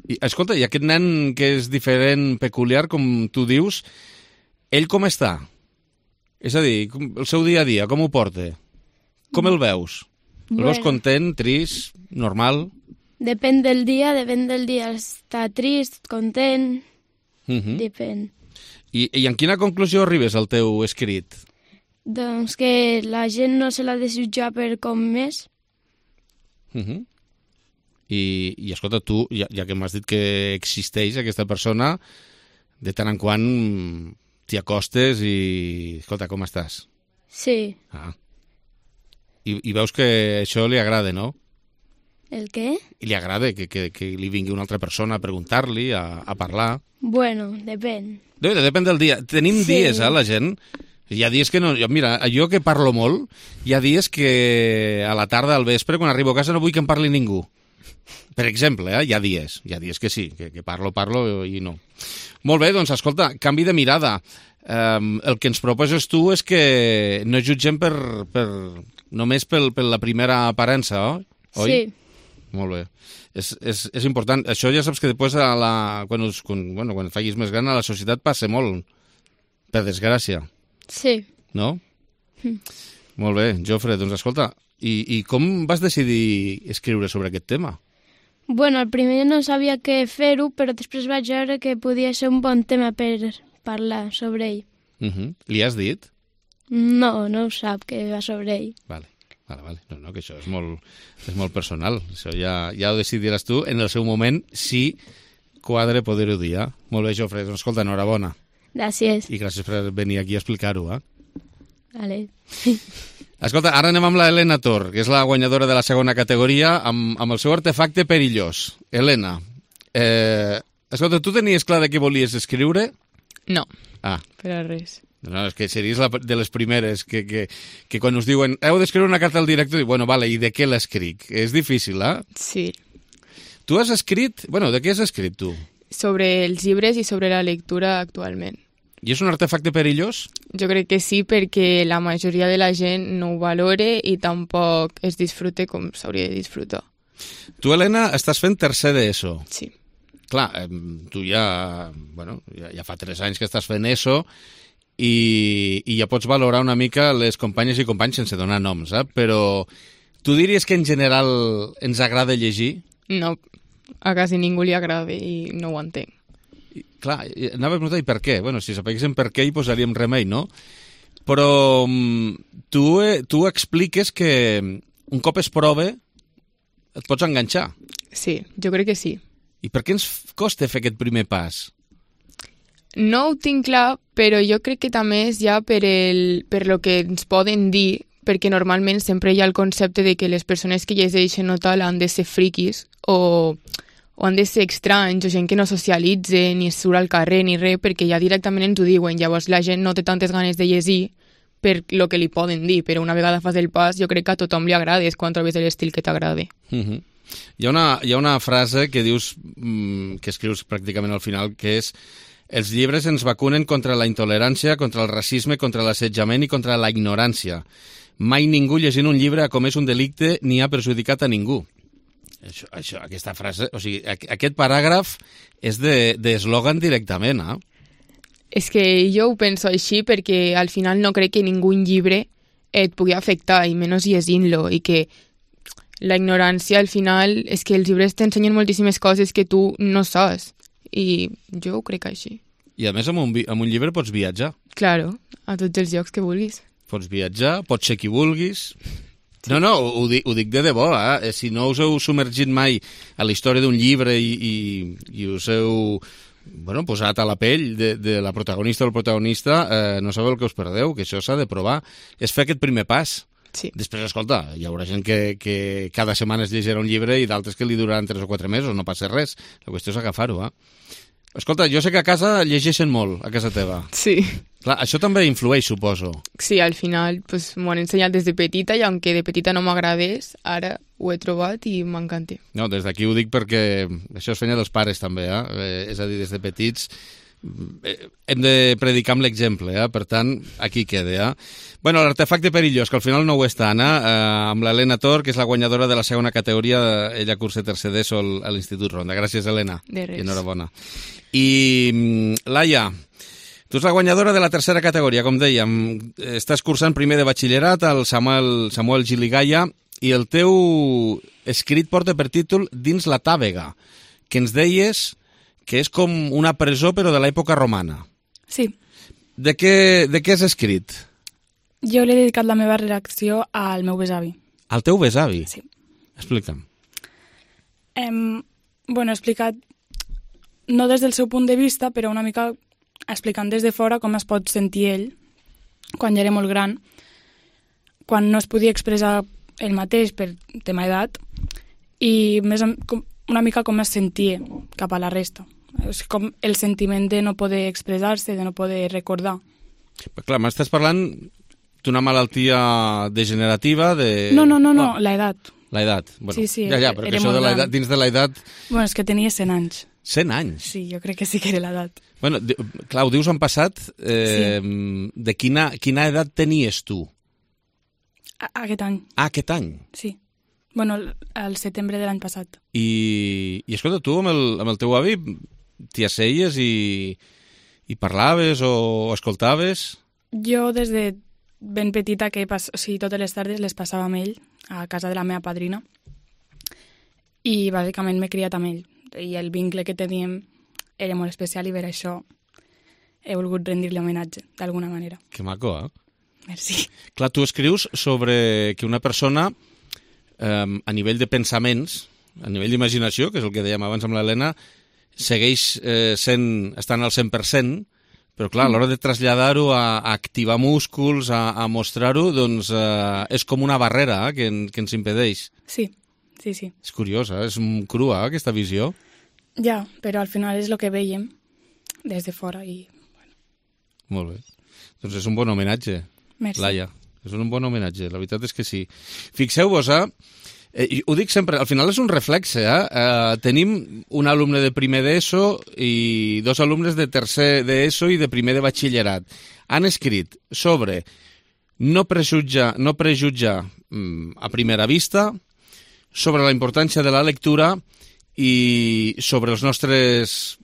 Speaker 1: I, escolta, i aquest nen que és diferent, peculiar, com tu dius, ell com està? És a dir, el seu dia a dia, com ho porta? Com el veus? El veus content, trist, normal?
Speaker 14: Depèn del dia. Està trist, content... Depèn.
Speaker 1: I en quina conclusió arribes al teu escrit?
Speaker 14: Doncs que la gent no se l'ha de jutjar per com és.
Speaker 1: I escolta, tu, ja que m'has dit que existeix aquesta persona, de tant en quant t'hi acostes i... Escolta, com estàs?
Speaker 14: Sí.
Speaker 1: I veus que això li agrada, no?
Speaker 14: El què?
Speaker 1: I li agrada que li vingui una altra persona a preguntar-li, a parlar.
Speaker 14: Bueno, depèn.
Speaker 1: Depèn del dia. Tenim dies, la gent. Hi ha dies que no... Mira, jo que parlo molt, hi ha dies que a la tarda, al vespre, quan arribo a casa, no vull que em parli ningú. Per exemple, hi ha dies que sí, que parlo i no. Molt bé, doncs, escolta, canvi de mirada. El que ens proposes tu és que no jutgem només per la primera aparença, oi?
Speaker 14: Sí.
Speaker 1: Molt bé. És important. Això ja saps que després, quan et facis més gran, a la societat passa molt, per desgràcia.
Speaker 14: Sí.
Speaker 1: No? Molt bé, Jofre, doncs escolta, i com vas decidir escriure sobre aquest tema?
Speaker 14: Bueno, al primer no sabia què fer-ho, però després vaig veure que podia ser un bon tema per parlar sobre ell.
Speaker 1: Li has dit?
Speaker 14: No ho sap, que va sobre ell.
Speaker 1: Vale. No, que això és molt personal. Això ja ho decidiràs tu en el seu moment, si quadre poder-ho dir. Molt bé, Jofre, doncs escolta, enhorabona.
Speaker 14: Gràcies.
Speaker 1: I gràcies per venir aquí a explicar-ho.
Speaker 14: Vale.
Speaker 1: Escolta, ara anem amb la Helena Tor, que és la guanyadora de la segona categoria, amb el seu artefacte perillós. Helena, escolta, tu tenies clar de què volies escriure?
Speaker 15: No, per a res.
Speaker 1: No, és que series de les primeres que quan us diuen heu d'escriure una carta al director, bueno, vale, i de què l'escric? És difícil,
Speaker 15: Sí.
Speaker 1: Tu has escrit... Bueno, de què has escrit tu?
Speaker 15: Sobre els llibres i sobre la lectura actualment.
Speaker 1: I és un artefacte perillós?
Speaker 15: Jo crec que sí, perquè la majoria de la gent no ho valora i tampoc es disfruta com s'hauria de disfrutar.
Speaker 1: Tu, Helena, estàs fent tercer d'ESO.
Speaker 15: Sí.
Speaker 1: Clar, tu ja fa 3 anys que estàs fent ESO i ja pots valorar una mica les companyes i companys sense donar noms, però tu diries que en general ens agrada llegir?
Speaker 15: No, a quasi ningú li agrada i no ho entenc.
Speaker 1: Clar, anava a preguntar, i per què? Bueno, si sapiguéssim per què hi posaríem remei, no? Però tu expliques que un cop es prova et pots enganxar.
Speaker 15: Sí, jo crec que sí.
Speaker 1: I per què ens costa fer aquest primer pas?
Speaker 15: No ho tinc clar, però jo crec que també és ja per lo que ens poden dir, perquè normalment sempre hi ha el concepte de que les persones que llegeixen o tal han de ser friquis o han de ser estranys o gent que no socialitze ni surt al carrer ni res, perquè ja directament ens ho diuen. Llavors la gent no té tantes ganes de llegir per lo que li poden dir, però una vegada fas el pas jo crec que a tothom li agrada, és quan trobes l'estil que t'agrada.
Speaker 1: Hi ha una frase que dius, que escrius pràcticament al final, que és: els llibres ens vacunen contra la intolerància, contra el racisme, contra l'assetjament i contra la ignorància. Mai ningú llegint un llibre ha comès un delicte ni ha perjudicat a ningú. Aquesta frase, o sigui, aquest paràgraf és d'eslògan directament,
Speaker 15: És que jo ho penso així perquè al final no crec que ningú llibre et pugui afectar, i menys llegint-lo, i que la ignorància al final és que els llibres t'ensenyen moltíssimes coses que tu no saps, i jo ho crec així.
Speaker 1: I a més amb un llibre pots viatjar.
Speaker 15: Claro, a tots els llocs que vulguis.
Speaker 1: Pots viatjar, pots ser qui vulguis. No, ho dic de debò, Si no us heu submergit mai a la història d'un llibre i us heu posat a la pell de la protagonista o el protagonista, no sabeu el que us perdeu, que això s'ha de provar. És fer aquest primer pas.
Speaker 15: Sí.
Speaker 1: Després, escolta, hi haurà gent que cada setmana es llegirà un llibre i d'altres que li duraran 3 o 4 mesos, no passa res. La qüestió és agafar-ho, Escolta, jo sé que a casa llegeixen molt, a casa teva.
Speaker 15: Sí.
Speaker 1: Clar, això també influeix, suposo.
Speaker 15: Sí, al final m'ho han ensenyat des de petita i aunque de petita no m'agradés, ara ho he trobat i m'encanta.
Speaker 1: No, des d'aquí ho dic perquè això és feina dels pares també, és a dir, des de petits hem de predicar amb l'exemple, per tant, aquí queda. Bueno, l'artefacte perillós, que al final no ho és tant, amb l'Helena Tor, que és la guanyadora de la segona categoria, ella cursa tercer d'ESO a l'Institut Ronda. Gràcies, Helena.
Speaker 15: De res.
Speaker 1: I enhorabona. I Laia, tu ets la guanyadora de la tercera categoria, com dèiem. Estàs cursant primer de batxillerat al Samuel Giligaya i el teu escrit porta per títol Dins la Tàvega, que ens deies que és com una presó però de l'època romana.
Speaker 16: Sí.
Speaker 1: De què has escrit?
Speaker 16: Jo l'he dedicat la meva redacció al meu besavi.
Speaker 1: Al teu besavi?
Speaker 16: Sí.
Speaker 1: Explica'm.
Speaker 16: He explicat, no des del seu punt de vista, però una mica explicant des de fora com es pot sentir ell quan ja era molt gran, quan no es podia expressar ell mateix per tema edat, i més una mica com es sentia cap a la resta. És com el sentiment de no poder expressar-se, de no poder recordar.
Speaker 1: Clar, m'estàs parlant d'una malaltia degenerativa de...
Speaker 16: No, l'edat.
Speaker 1: L'edat. Bueno,
Speaker 16: sí,
Speaker 1: ja, perquè això de l'edat, dins de l'edat...
Speaker 16: Bueno, és que tenia 100 anys.
Speaker 1: 100 anys?
Speaker 16: Sí, jo crec que sí que era l'edat.
Speaker 1: Bueno, clar, ho dius en passat, de quina edat tenies tu?
Speaker 16: Aquest any.
Speaker 1: Aquest any?
Speaker 16: Sí. Bueno, al setembre de l'any passat.
Speaker 1: I escolta, tu amb el teu avi t'hi asseies i parlaves o escoltaves?
Speaker 16: Jo des de ben petita, totes les tardes les passava amb ell a casa de la meva padrina, i bàsicament m'he criat amb ell, i el vincle que teníem era molt especial, i per això he volgut rendir-li homenatge d'alguna manera.
Speaker 1: Que maco, eh?
Speaker 16: Merci.
Speaker 1: Clar, tu escrius sobre que una persona a nivell de pensaments, a nivell d'imaginació, que és el que dèiem abans amb l'Helena, segueix estant al 100%, però clar, a l'hora de traslladar-ho a activar músculs, a mostrar-ho, doncs és com una barrera que ens impedeix.
Speaker 16: Sí.
Speaker 1: És curiosa, és crua aquesta visió.
Speaker 16: Ja, però al final és el que veiem des de fora i... Bueno.
Speaker 1: Molt bé. Doncs és un bon homenatge,
Speaker 16: merci.
Speaker 1: Laia. És un bon homenatge, la veritat és que sí. Fixeu-vos, ho dic sempre, al final és un reflexe, tenim un alumne de primer d'ESO i 2 alumnes de tercer d'ESO i de primer de batxillerat. Han escrit sobre no prejutjar a primera vista, sobre la importància de la lectura i sobre els nostres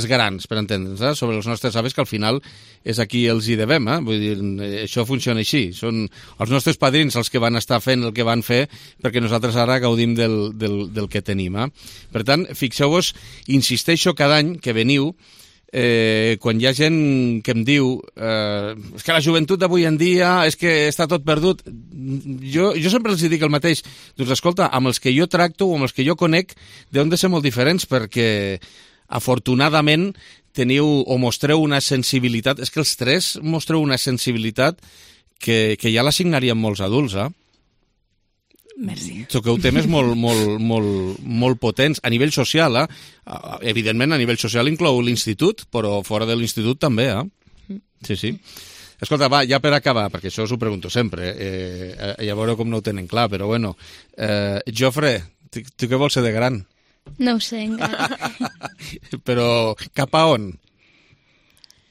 Speaker 1: grans, per entendre'ns, sobre els nostres avis, que al final és a qui els hi devem, vull dir, això funciona així, són els nostres padrins els que van estar fent el que van fer perquè nosaltres ara gaudim del que tenim. Per tant, fixeu-vos, insisteixo cada any que veniu, quan hi ha gent que em diu és que la joventut d'avui en dia és que està tot perdut, jo sempre els dic el mateix, doncs escolta, amb els que jo tracto o amb els que jo conec deuen de ser molt diferents, perquè afortunadament teniu o mostreu una sensibilitat, és que els 3 mostreu una sensibilitat que ja l'assignaríem molts adults,
Speaker 16: Merci.
Speaker 1: Toqueu temes molt potents a nivell social, evidentment a nivell social inclou l'institut, però fora de l'institut també, Sí. Escolta, va, ja per acabar, perquè això us ho pregunto sempre, ja veureu com no ho tenen clar, però bueno, Jofre, tu què vols ser de gran?
Speaker 14: No ho sé encara.
Speaker 1: Però cap a on?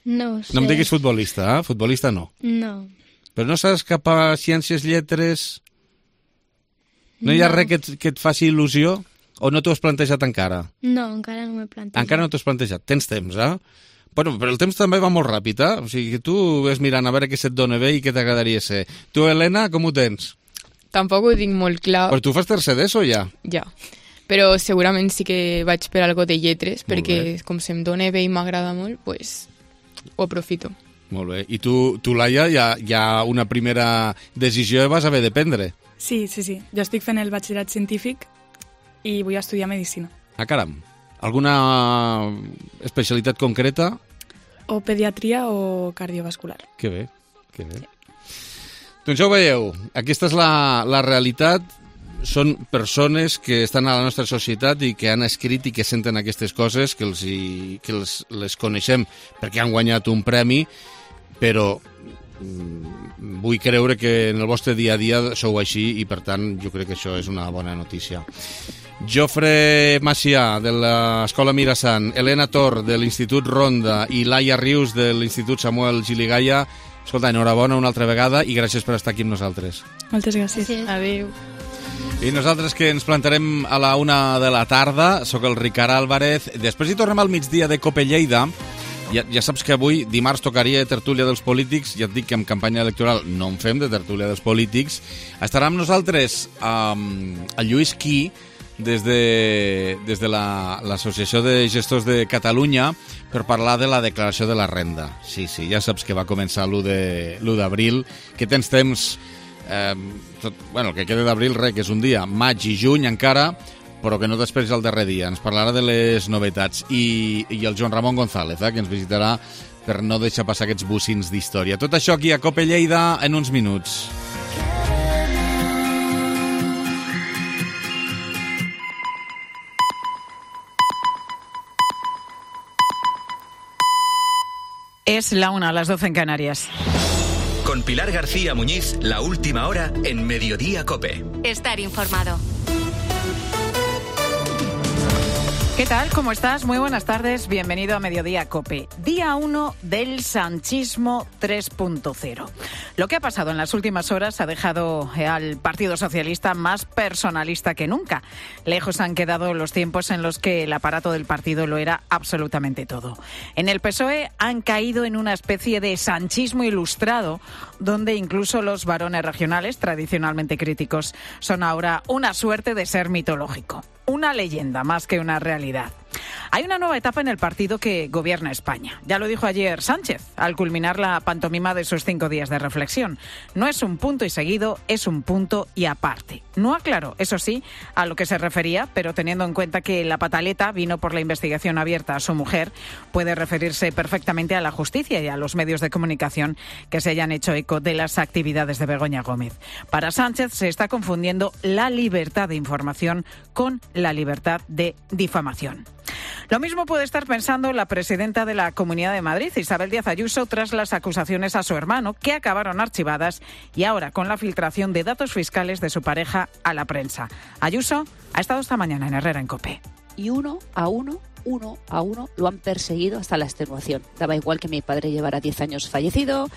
Speaker 14: No ho sé.
Speaker 1: No em diguis futbolista, Futbolista no.
Speaker 14: No.
Speaker 1: Però no saps cap a ciències, lletres? No hi ha res que et faci il·lusió? O no t'ho has plantejat encara?
Speaker 14: No, encara no m'he plantejat.
Speaker 1: Encara no t'ho has plantejat. Tens temps, Bueno, però el temps també va molt ràpid, O sigui, que tu ves mirant a veure què se't dona bé i què t'agradaria ser. Tu, Helena, com ho tens?
Speaker 15: Tampoc ho tinc molt clar.
Speaker 1: Però tu fas tercer d'ESO, ja?
Speaker 15: Ja. Però segurament sí que vaig per algo de lletres, perquè com se'm dona bé i m'agrada molt, pues ho aprofito.
Speaker 1: Molt bé. I tu Laia, ja una primera decisió vas haver de prendre.
Speaker 16: Sí. Jo estic fent el batxillerat científic i vull estudiar medicina.
Speaker 1: Caram. Alguna especialitat concreta?
Speaker 16: O pediatria o cardiovascular.
Speaker 1: Que bé. Doncs ja ho veieu. Aquesta és la realitat. Són persones que estan a la nostra societat i que han escrit i que senten aquestes coses, que les coneixem perquè han guanyat un premi, però vull creure que en el vostre dia a dia sou així i per tant jo crec que això és una bona notícia. Jofre Macià de l'Escola Mirasant, Helena Tor de l'Institut Ronda i Laia Rius de l'Institut Samuel Giligaya, escolta, enhorabona una altra vegada i gràcies per estar aquí amb nosaltres.
Speaker 16: Moltes gràcies.
Speaker 15: Adéu.
Speaker 1: I nosaltres que ens plantarem a la 1 de la tarda, sóc el Ricard Álvarez, després hi tornem al migdia de Cope Lleida. Ja saps que avui, dimarts, tocaria tertúlia dels polítics. Ja et dic que en campanya electoral no en fem de tertúlia dels polítics. Estarà amb nosaltres el Lluís Quí, des de l'Associació de Gestors de Catalunya, per parlar de la declaració de la renda. Sí, ja saps que va començar l'1 d'abril, que tens temps el que queda d'abril, que és un dia, maig i juny encara, però que no t'esperis el darrer dia. Ens parlarà de les novetats. I el Joan Ramon González, que ens visitarà per no deixar passar aquests bocins d'història. Tot això aquí a COPE Lleida en uns minuts.
Speaker 12: Es la 1, a las 12 en Canarias.
Speaker 8: Con Pilar García Muñiz, la última hora en Mediodía COPE.
Speaker 2: Estar informado.
Speaker 12: ¿Qué tal? ¿Cómo estás? Muy buenas tardes. Bienvenido a Mediodía COPE. Día 1 del sanchismo 3.0. Lo que ha pasado en las últimas horas ha dejado al Partido Socialista más personalista que nunca. Lejos han quedado los tiempos en los que el aparato del partido lo era absolutamente todo. En el PSOE han caído en una especie de sanchismo ilustrado, donde incluso los varones regionales, tradicionalmente críticos, son ahora una suerte de ser mitológico. Una leyenda más que una realidad. Hay una nueva etapa en el partido que gobierna España. Ya lo dijo ayer Sánchez, al culminar la pantomima de sus 5 días de reflexión. No es un punto y seguido, es un punto y aparte. No aclaró, eso sí, a lo que se refería, pero teniendo en cuenta que la pataleta vino por la investigación abierta a su mujer, puede referirse perfectamente a la justicia y a los medios de comunicación que se hayan hecho eco de las actividades de Begoña Gómez. Para Sánchez se está confundiendo la libertad de información con la libertad de difamación. Lo mismo puede estar pensando la presidenta de la Comunidad de Madrid, Isabel Díaz Ayuso, tras las acusaciones a su hermano, que acabaron archivadas, y ahora con la filtración de datos fiscales de su pareja a la prensa. Ayuso ha estado esta mañana en Herrera en COPE.
Speaker 17: Y uno a uno lo han perseguido hasta la extenuación. Daba igual que mi padre llevara 10 años fallecido,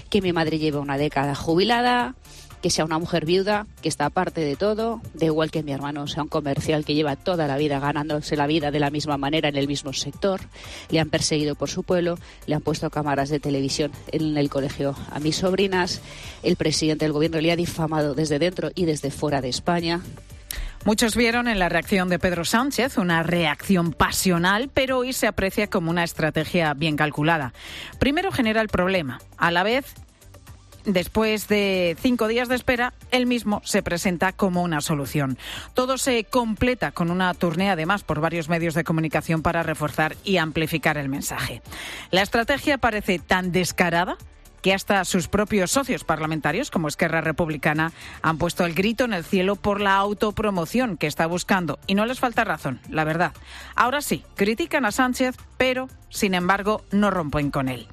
Speaker 17: que mi madre lleve una década jubilada, que sea una mujer viuda, que está aparte de todo, da igual que mi hermano sea un comercial que lleva toda la vida ganándose la vida de la misma manera en el mismo sector. Le han perseguido por su pueblo, le han puesto cámaras de televisión en el colegio a mis sobrinas, el presidente del gobierno le ha difamado desde dentro y desde fuera de España.
Speaker 12: Muchos vieron en la reacción de Pedro Sánchez una reacción pasional, pero hoy se aprecia como una estrategia bien calculada. Primero genera el problema, a la vez. Después de 5 días de espera, él mismo se presenta como una solución. Todo se completa con una tournée, además, por varios medios de comunicación para reforzar y amplificar el mensaje. La estrategia parece tan descarada que hasta sus propios socios parlamentarios, como Esquerra Republicana, han puesto el grito en el cielo por la autopromoción que está buscando. Y no les falta razón, la verdad. Ahora sí, critican a Sánchez, pero, sin embargo, no rompen con él.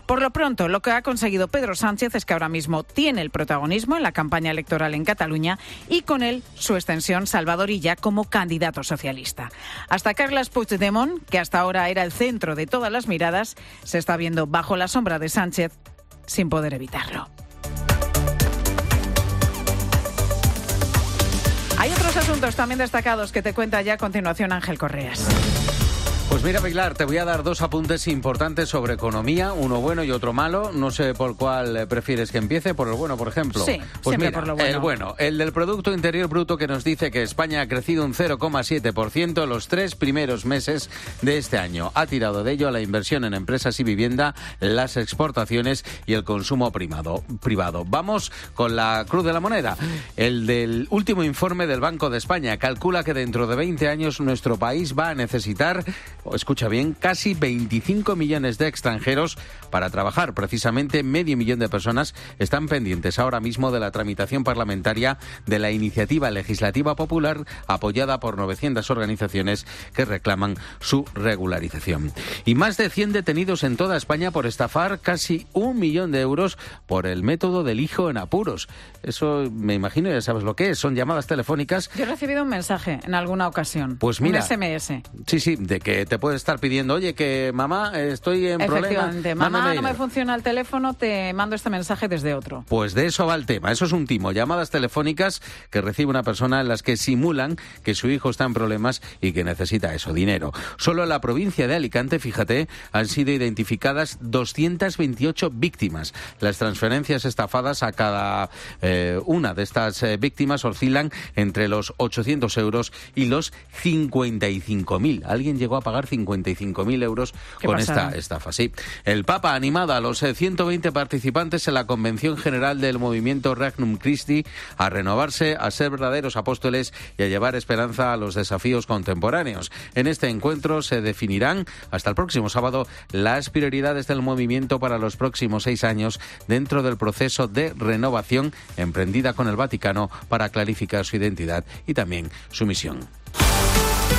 Speaker 12: Por lo pronto, lo que ha conseguido Pedro Sánchez es que ahora mismo tiene el protagonismo en la campaña electoral en Cataluña y con él su extensión Salvador Illa como candidato socialista. Hasta Carles Puigdemont, que hasta ahora era el centro de todas las miradas, se está viendo bajo la sombra de Sánchez sin poder evitarlo. Hay otros asuntos también destacados que te cuenta ya a continuación Ángel Correas.
Speaker 18: Pues mira, Pilar, te voy a dar 2 apuntes importantes sobre economía, uno bueno y otro malo. No sé por cuál prefieres que empiece, por el bueno, por ejemplo.
Speaker 12: Sí,
Speaker 18: pues
Speaker 12: siempre
Speaker 18: mira,
Speaker 12: por lo bueno.
Speaker 18: El bueno, el del Producto Interior Bruto, que nos dice que España ha crecido un 0,7% en los 3 primeros meses de este año. Ha tirado de ello a la inversión en empresas y vivienda, las exportaciones y el consumo privado. Vamos con la cruz de la moneda. El del último informe del Banco de España calcula que dentro de 20 años nuestro país va a necesitar, escucha bien, casi 25 millones de extranjeros para trabajar. Precisamente 500.000 de personas están pendientes ahora mismo de la tramitación parlamentaria de la iniciativa legislativa popular apoyada por 900 organizaciones que reclaman su regularización. Y más de 100 detenidos en toda España por estafar casi 1 millón de euros por el método del hijo en apuros. Eso me imagino, ya sabes lo que es, son llamadas telefónicas.
Speaker 12: Yo he recibido un mensaje en alguna ocasión.
Speaker 18: Pues mira,
Speaker 12: un SMS.
Speaker 18: Sí, de que te puede estar pidiendo, oye, que mamá, estoy en problema.
Speaker 12: Efectivamente, mamá, no me funciona el teléfono, te mando este mensaje desde otro.
Speaker 18: Pues de eso va el tema, eso es un timo, llamadas telefónicas que recibe una persona en las que simulan que su hijo está en problemas y que necesita eso, dinero. Solo en la provincia de Alicante, fíjate, han sido identificadas 228 víctimas. Las transferencias estafadas a cada una de estas víctimas oscilan entre los 800 euros y los 55.000. ¿Alguien llegó a pagar pagar 55.000 euros con esta estafa. Sí. El Papa animada a los 120 participantes en la Convención General del Movimiento Regnum Christi a renovarse, a ser verdaderos apóstoles y a llevar esperanza a los desafíos contemporáneos. En este encuentro se definirán hasta el próximo sábado las prioridades del movimiento para los próximos 6 años dentro del proceso de renovación emprendida con el Vaticano para clarificar su identidad y también su misión.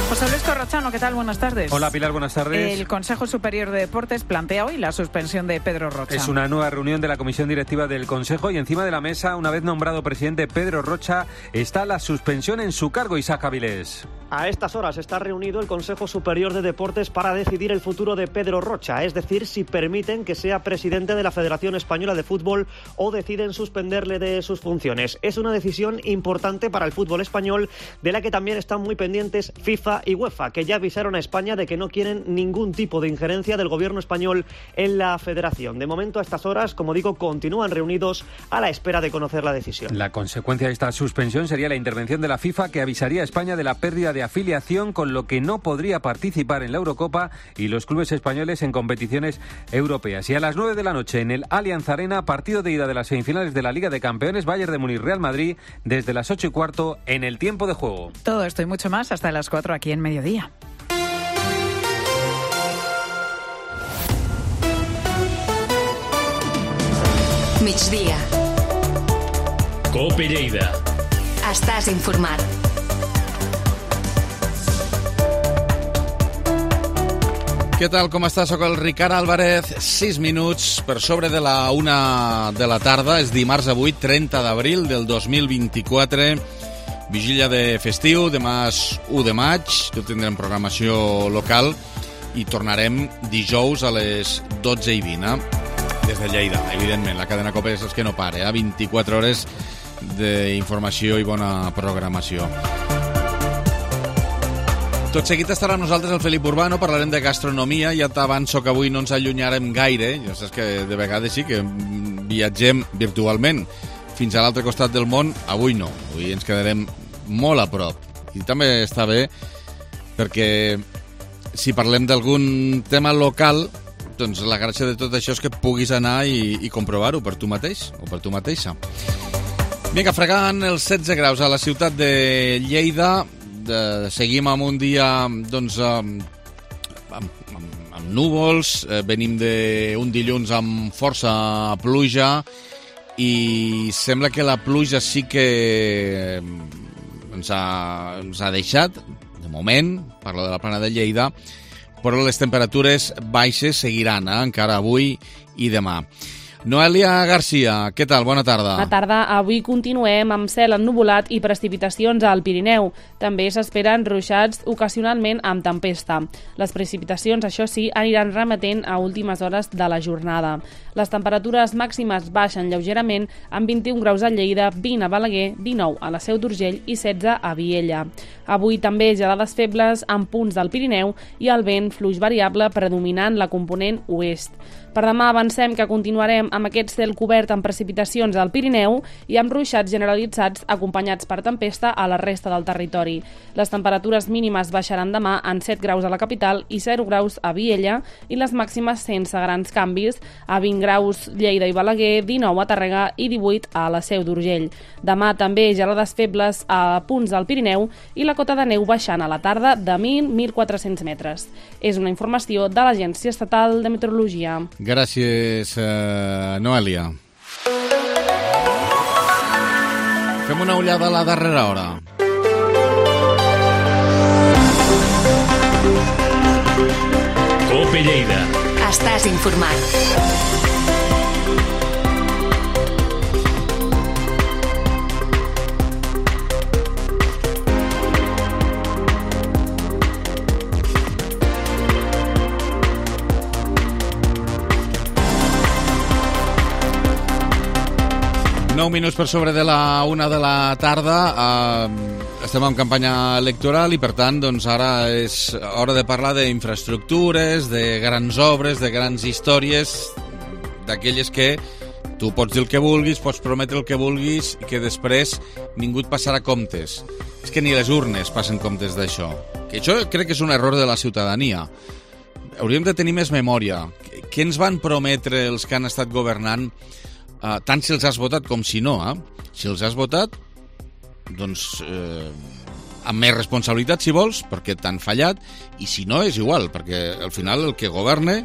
Speaker 12: José Luis Corrochano, ¿qué tal? Buenas tardes.
Speaker 19: Hola Pilar, buenas tardes.
Speaker 12: El Consejo Superior de Deportes plantea hoy la suspensión de Pedro Rocha.
Speaker 19: Es una nueva reunión de la Comisión Directiva del Consejo y encima de la mesa, una vez nombrado presidente Pedro Rocha, está la suspensión en su cargo. Isaac Avilés.
Speaker 20: A estas horas está reunido el Consejo Superior de Deportes para decidir el futuro de Pedro Rocha, es decir, si permiten que sea presidente de la Federación Española de Fútbol o deciden suspenderle de sus funciones. Es una decisión importante para el fútbol español, de la que también están muy pendientes FIFA y UEFA, que ya avisaron a España de que no quieren ningún tipo de injerencia del gobierno español en la federación. De momento, a estas horas, como digo, continúan reunidos a la espera de conocer la decisión.
Speaker 19: La consecuencia de esta suspensión sería la intervención de la FIFA, que avisaría a España de la pérdida de afiliación, con lo que no podría participar en la Eurocopa y los clubes españoles en competiciones europeas. Y a las 9 de la noche en el Allianz Arena, partido de ida de las semifinales de la Liga de Campeones, Bayern de Múnich Real Madrid, desde las 8:15 en el tiempo de juego.
Speaker 12: Todo esto y mucho más hasta las 4 aquí en Mediodía.
Speaker 2: Migdia.
Speaker 21: COPE Lleida.
Speaker 2: Estàs informat.
Speaker 1: Què tal, com està? Soc el Ricard Álvarez. 6 minuts per sobre de la 1 de la tarda. És dimarts avui, 30 d'abril del 2024. Vigília de festiu, demà és 1 de maig. Tot tindrem programació local i tornarem dijous a les 12:20. Des de Lleida, evidentment. La cadena COPE és que no para. 24 hores d'informació i bona programació. Tot seguit estarà amb nosaltres el Felip Urbano, parlarem de gastronomia. Ja t'avanço que avui no ens allunyarem gaire. Ja saps que de vegades sí que viatgem virtualment fins a l'altre costat del món. Avui no, avui ens quedarem molt a prop. I també està bé perquè si parlem d'algun tema local, doncs la gràcia de tot això és que puguis anar i comprovar-ho per tu mateix o per tu mateixa. Vinga, fregant els 16 graus a la ciutat de Lleida. Seguim amb un dia doncs, amb núvols, venim d'un dilluns amb força pluja i sembla que la pluja sí que ens ha deixat, de moment, parlo de la plana de Lleida, però les temperatures baixes seguiran, encara avui i demà. Noelia Garcia, què tal? Bona tarda.
Speaker 22: Bona tarda. Avui continuem amb cel ennuvolat i precipitacions al Pirineu. També s'esperen ruixats ocasionalment amb tempesta. Les precipitacions, això sí, aniran remetent a últimes hores de la jornada. Les temperatures màximes baixen lleugerament amb 21 graus a Lleida, 20 a Balaguer, 19 a la Seu d'Urgell i 16 a Viella. Avui també gelades febles en punts del Pirineu i el vent fluix variable predominant la component oest. Per demà avancem que continuarem amb aquest cel cobert amb precipitacions al Pirineu i amb ruixats generalitzats acompanyats per tempesta a la resta del territori. Les temperatures mínimes baixaran demà en 7 graus a la capital i 0 graus a Viella i les màximes sense grans canvis a 20 graus Lleida i Balaguer, 19 a Tàrrega i 18 a la Seu d'Urgell. Demà també gelades febles a punts del Pirineu i la cota de neu baixant a la tarda de 1.400 metres. És una informació de l'Agència Estatal de Meteorologia.
Speaker 1: Gràcies, Noelia. Fem una ullada a la darrera hora.
Speaker 21: COPE Lleida.
Speaker 2: Estàs informat.
Speaker 1: 9 minuts per sobre de la 1 de la tarda. Estem en campanya electoral i, per tant, doncs ara és hora de parlar d'infraestructures, de grans obres, de grans històries, d'aquelles que tu pots dir el que vulguis, pots prometre el que vulguis i que després ningú et passarà comptes. És que ni les urnes passen comptes d'això. que això crec que és un error de la ciutadania. Hauríem de tenir més memòria. Què ens van prometre els que han estat governant, tant si els has votat com si no? Si els has votat, doncs amb més responsabilitat, si vols, perquè t'han fallat, i si no, és igual, perquè al final el que governe,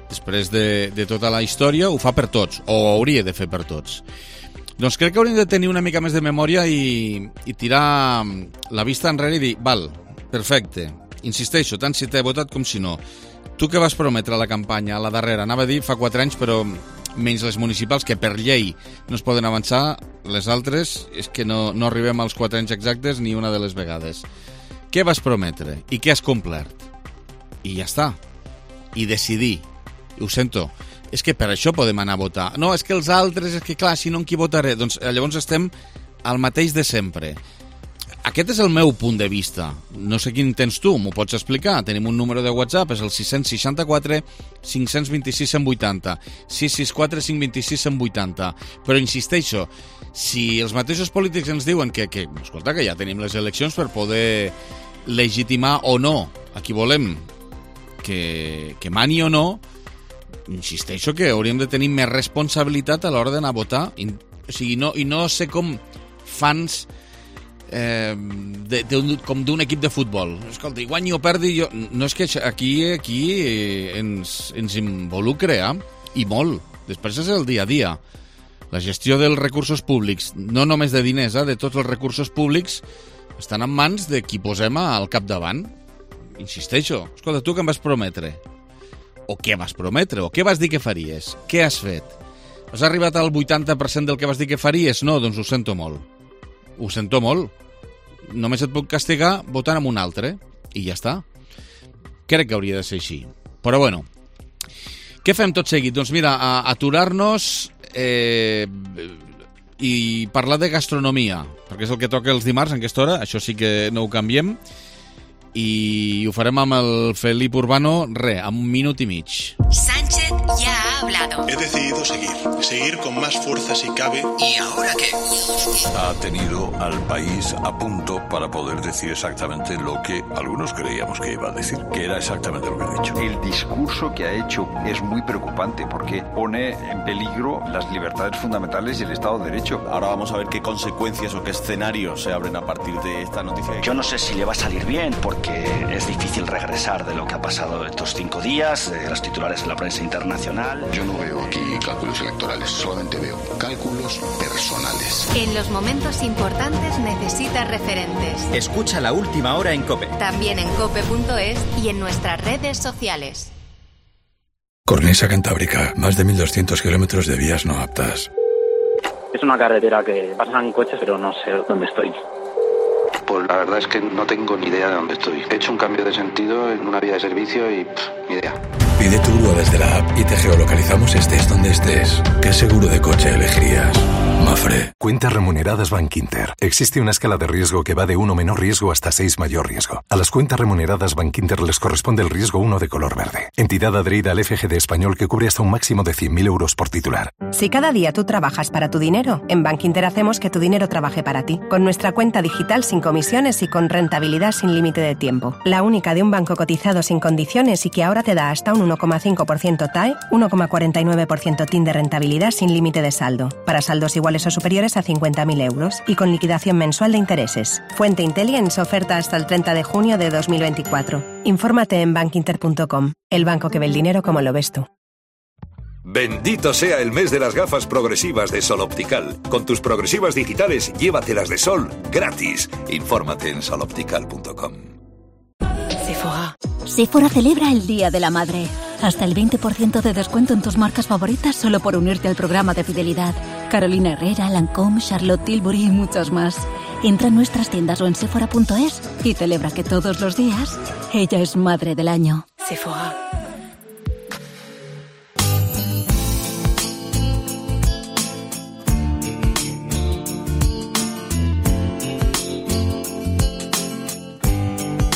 Speaker 1: després de tota la història, ho fa per tots, o hauria de fer per tots. Doncs crec que hauríem de tenir una mica més de memòria i tirar la vista enrere i dir, val, perfecte, insisteixo, tant si t'he votat com si no. Tu què vas prometre a la campanya, a la darrera? Anava a dir fa 4 anys, però menys les municipals, que per llei no es poden avançar, les altres és que no arribem als 4 anys exactes ni una de les vegades. Què vas prometre i què has complert? I ja està. I decidir. Ho sento. És que per això podem anar a votar. No, és que els altres, és que clar, si no en qui votaré? Doncs llavors estem al mateix de sempre. Aquest és el meu punt de vista. No sé quin tens tu, m'ho pots explicar. Tenim un número de WhatsApp, és el 664 526 180, 664 526 180. Però insisteixo, si els mateixos polítics ens diuen que escolta, que ja tenim les eleccions per poder legitimar o no a qui volem que mani o no, insisteixo que hauríem de tenir més responsabilitat a l'hora d'anar a votar. O sigui, no ser com fans com d'un equip de futbol. Escolta, guanyi o perdi, jo... No, és que aquí ens involucre, i molt. Després és el dia a dia. La gestió dels recursos públics, no només de diners, de tots els recursos públics, estan en mans de qui posem al capdavant. Insisteixo. Escolta, tu què em vas prometre? O què vas prometre? O què vas dir que faries? Què has fet? Has arribat al 80% del que vas dir que faries? No, doncs ho sento molt. Ho sento molt. Només et puc castigar votant amb un altre. I ja està. Crec que hauria de ser així. Però bueno, què fem tot seguit? Doncs mira, aturar-nos i parlar de gastronomia, perquè és el que toca els dimarts en aquesta hora. Això sí que no ho canviem. I ho farem amb el Felip Urbano, amb 1 minut i mig.
Speaker 3: Sánchez ya ha hablado.
Speaker 4: He decidido seguir con más fuerza si cabe.
Speaker 3: ¿Y ahora qué?
Speaker 23: Ha tenido al país a punto para poder decir exactamente lo que algunos creíamos que iba a decir, que era exactamente lo que ha dicho.
Speaker 24: El discurso que ha hecho es muy preocupante porque pone en peligro las libertades fundamentales y el Estado de Derecho.
Speaker 25: Ahora vamos a ver qué consecuencias o qué escenarios se abren a partir de esta noticia.
Speaker 26: Yo no sé si le va a salir bien porque es difícil regresar de lo que ha pasado estos 5 días, de los titulares de la prensa internacional.
Speaker 27: Yo no veo aquí cálculos electorales, solamente veo cálculos personales.
Speaker 3: En los momentos importantes necesitas referentes.
Speaker 28: Escucha La Última Hora en COPE.
Speaker 3: También en cope.es y en nuestras redes sociales.
Speaker 29: Cornisa Cantábrica, más de 1.200 kilómetros de vías no aptas.
Speaker 30: Es una carretera que pasan coches, pero no sé dónde estoy.
Speaker 31: Pues la verdad es que no tengo ni idea de dónde estoy. He hecho un cambio de sentido en una vía de servicio y ni idea.
Speaker 29: Pide tu grúa desde la app y te geolocalizamos estés donde estés. ¿Qué seguro de coche elegirías? Mafre.
Speaker 32: Cuentas remuneradas Bankinter. Existe una escala de riesgo que va de 1 menor riesgo hasta 6 mayor riesgo. A las cuentas remuneradas Bankinter les corresponde el riesgo 1 de color verde. Entidad adherida al FGD español que cubre hasta un máximo de 100.000 euros por titular.
Speaker 33: Si cada día tú trabajas para tu dinero, en Bankinter hacemos que tu dinero trabaje para ti. Con nuestra cuenta digital sin comisiones y con rentabilidad sin límite de tiempo. La única de un banco cotizado sin condiciones y que ahora te da hasta un 1,5% TAE, 1,49% TIN de rentabilidad sin límite de saldo. Para saldos iguales o superiores a 50.000 euros y con liquidación mensual de intereses. Fuente Intelligence, oferta hasta el 30 de junio de 2024. Infórmate en bankinter.com. El banco que ve el dinero como lo ves tú.
Speaker 34: Bendito sea el mes de las gafas progresivas de Sol Optical. Con tus progresivas digitales, llévatelas de sol gratis. Infórmate en soloptical.com.
Speaker 35: Sephora celebra el Día de la Madre. Hasta el 20% de descuento en tus marcas favoritas solo por unirte al programa de fidelidad. Carolina Herrera, Lancôme, Charlotte Tilbury y muchos más. Entra en nuestras tiendas o en sephora.es y celebra que todos los días ella es Madre del Año. Sephora.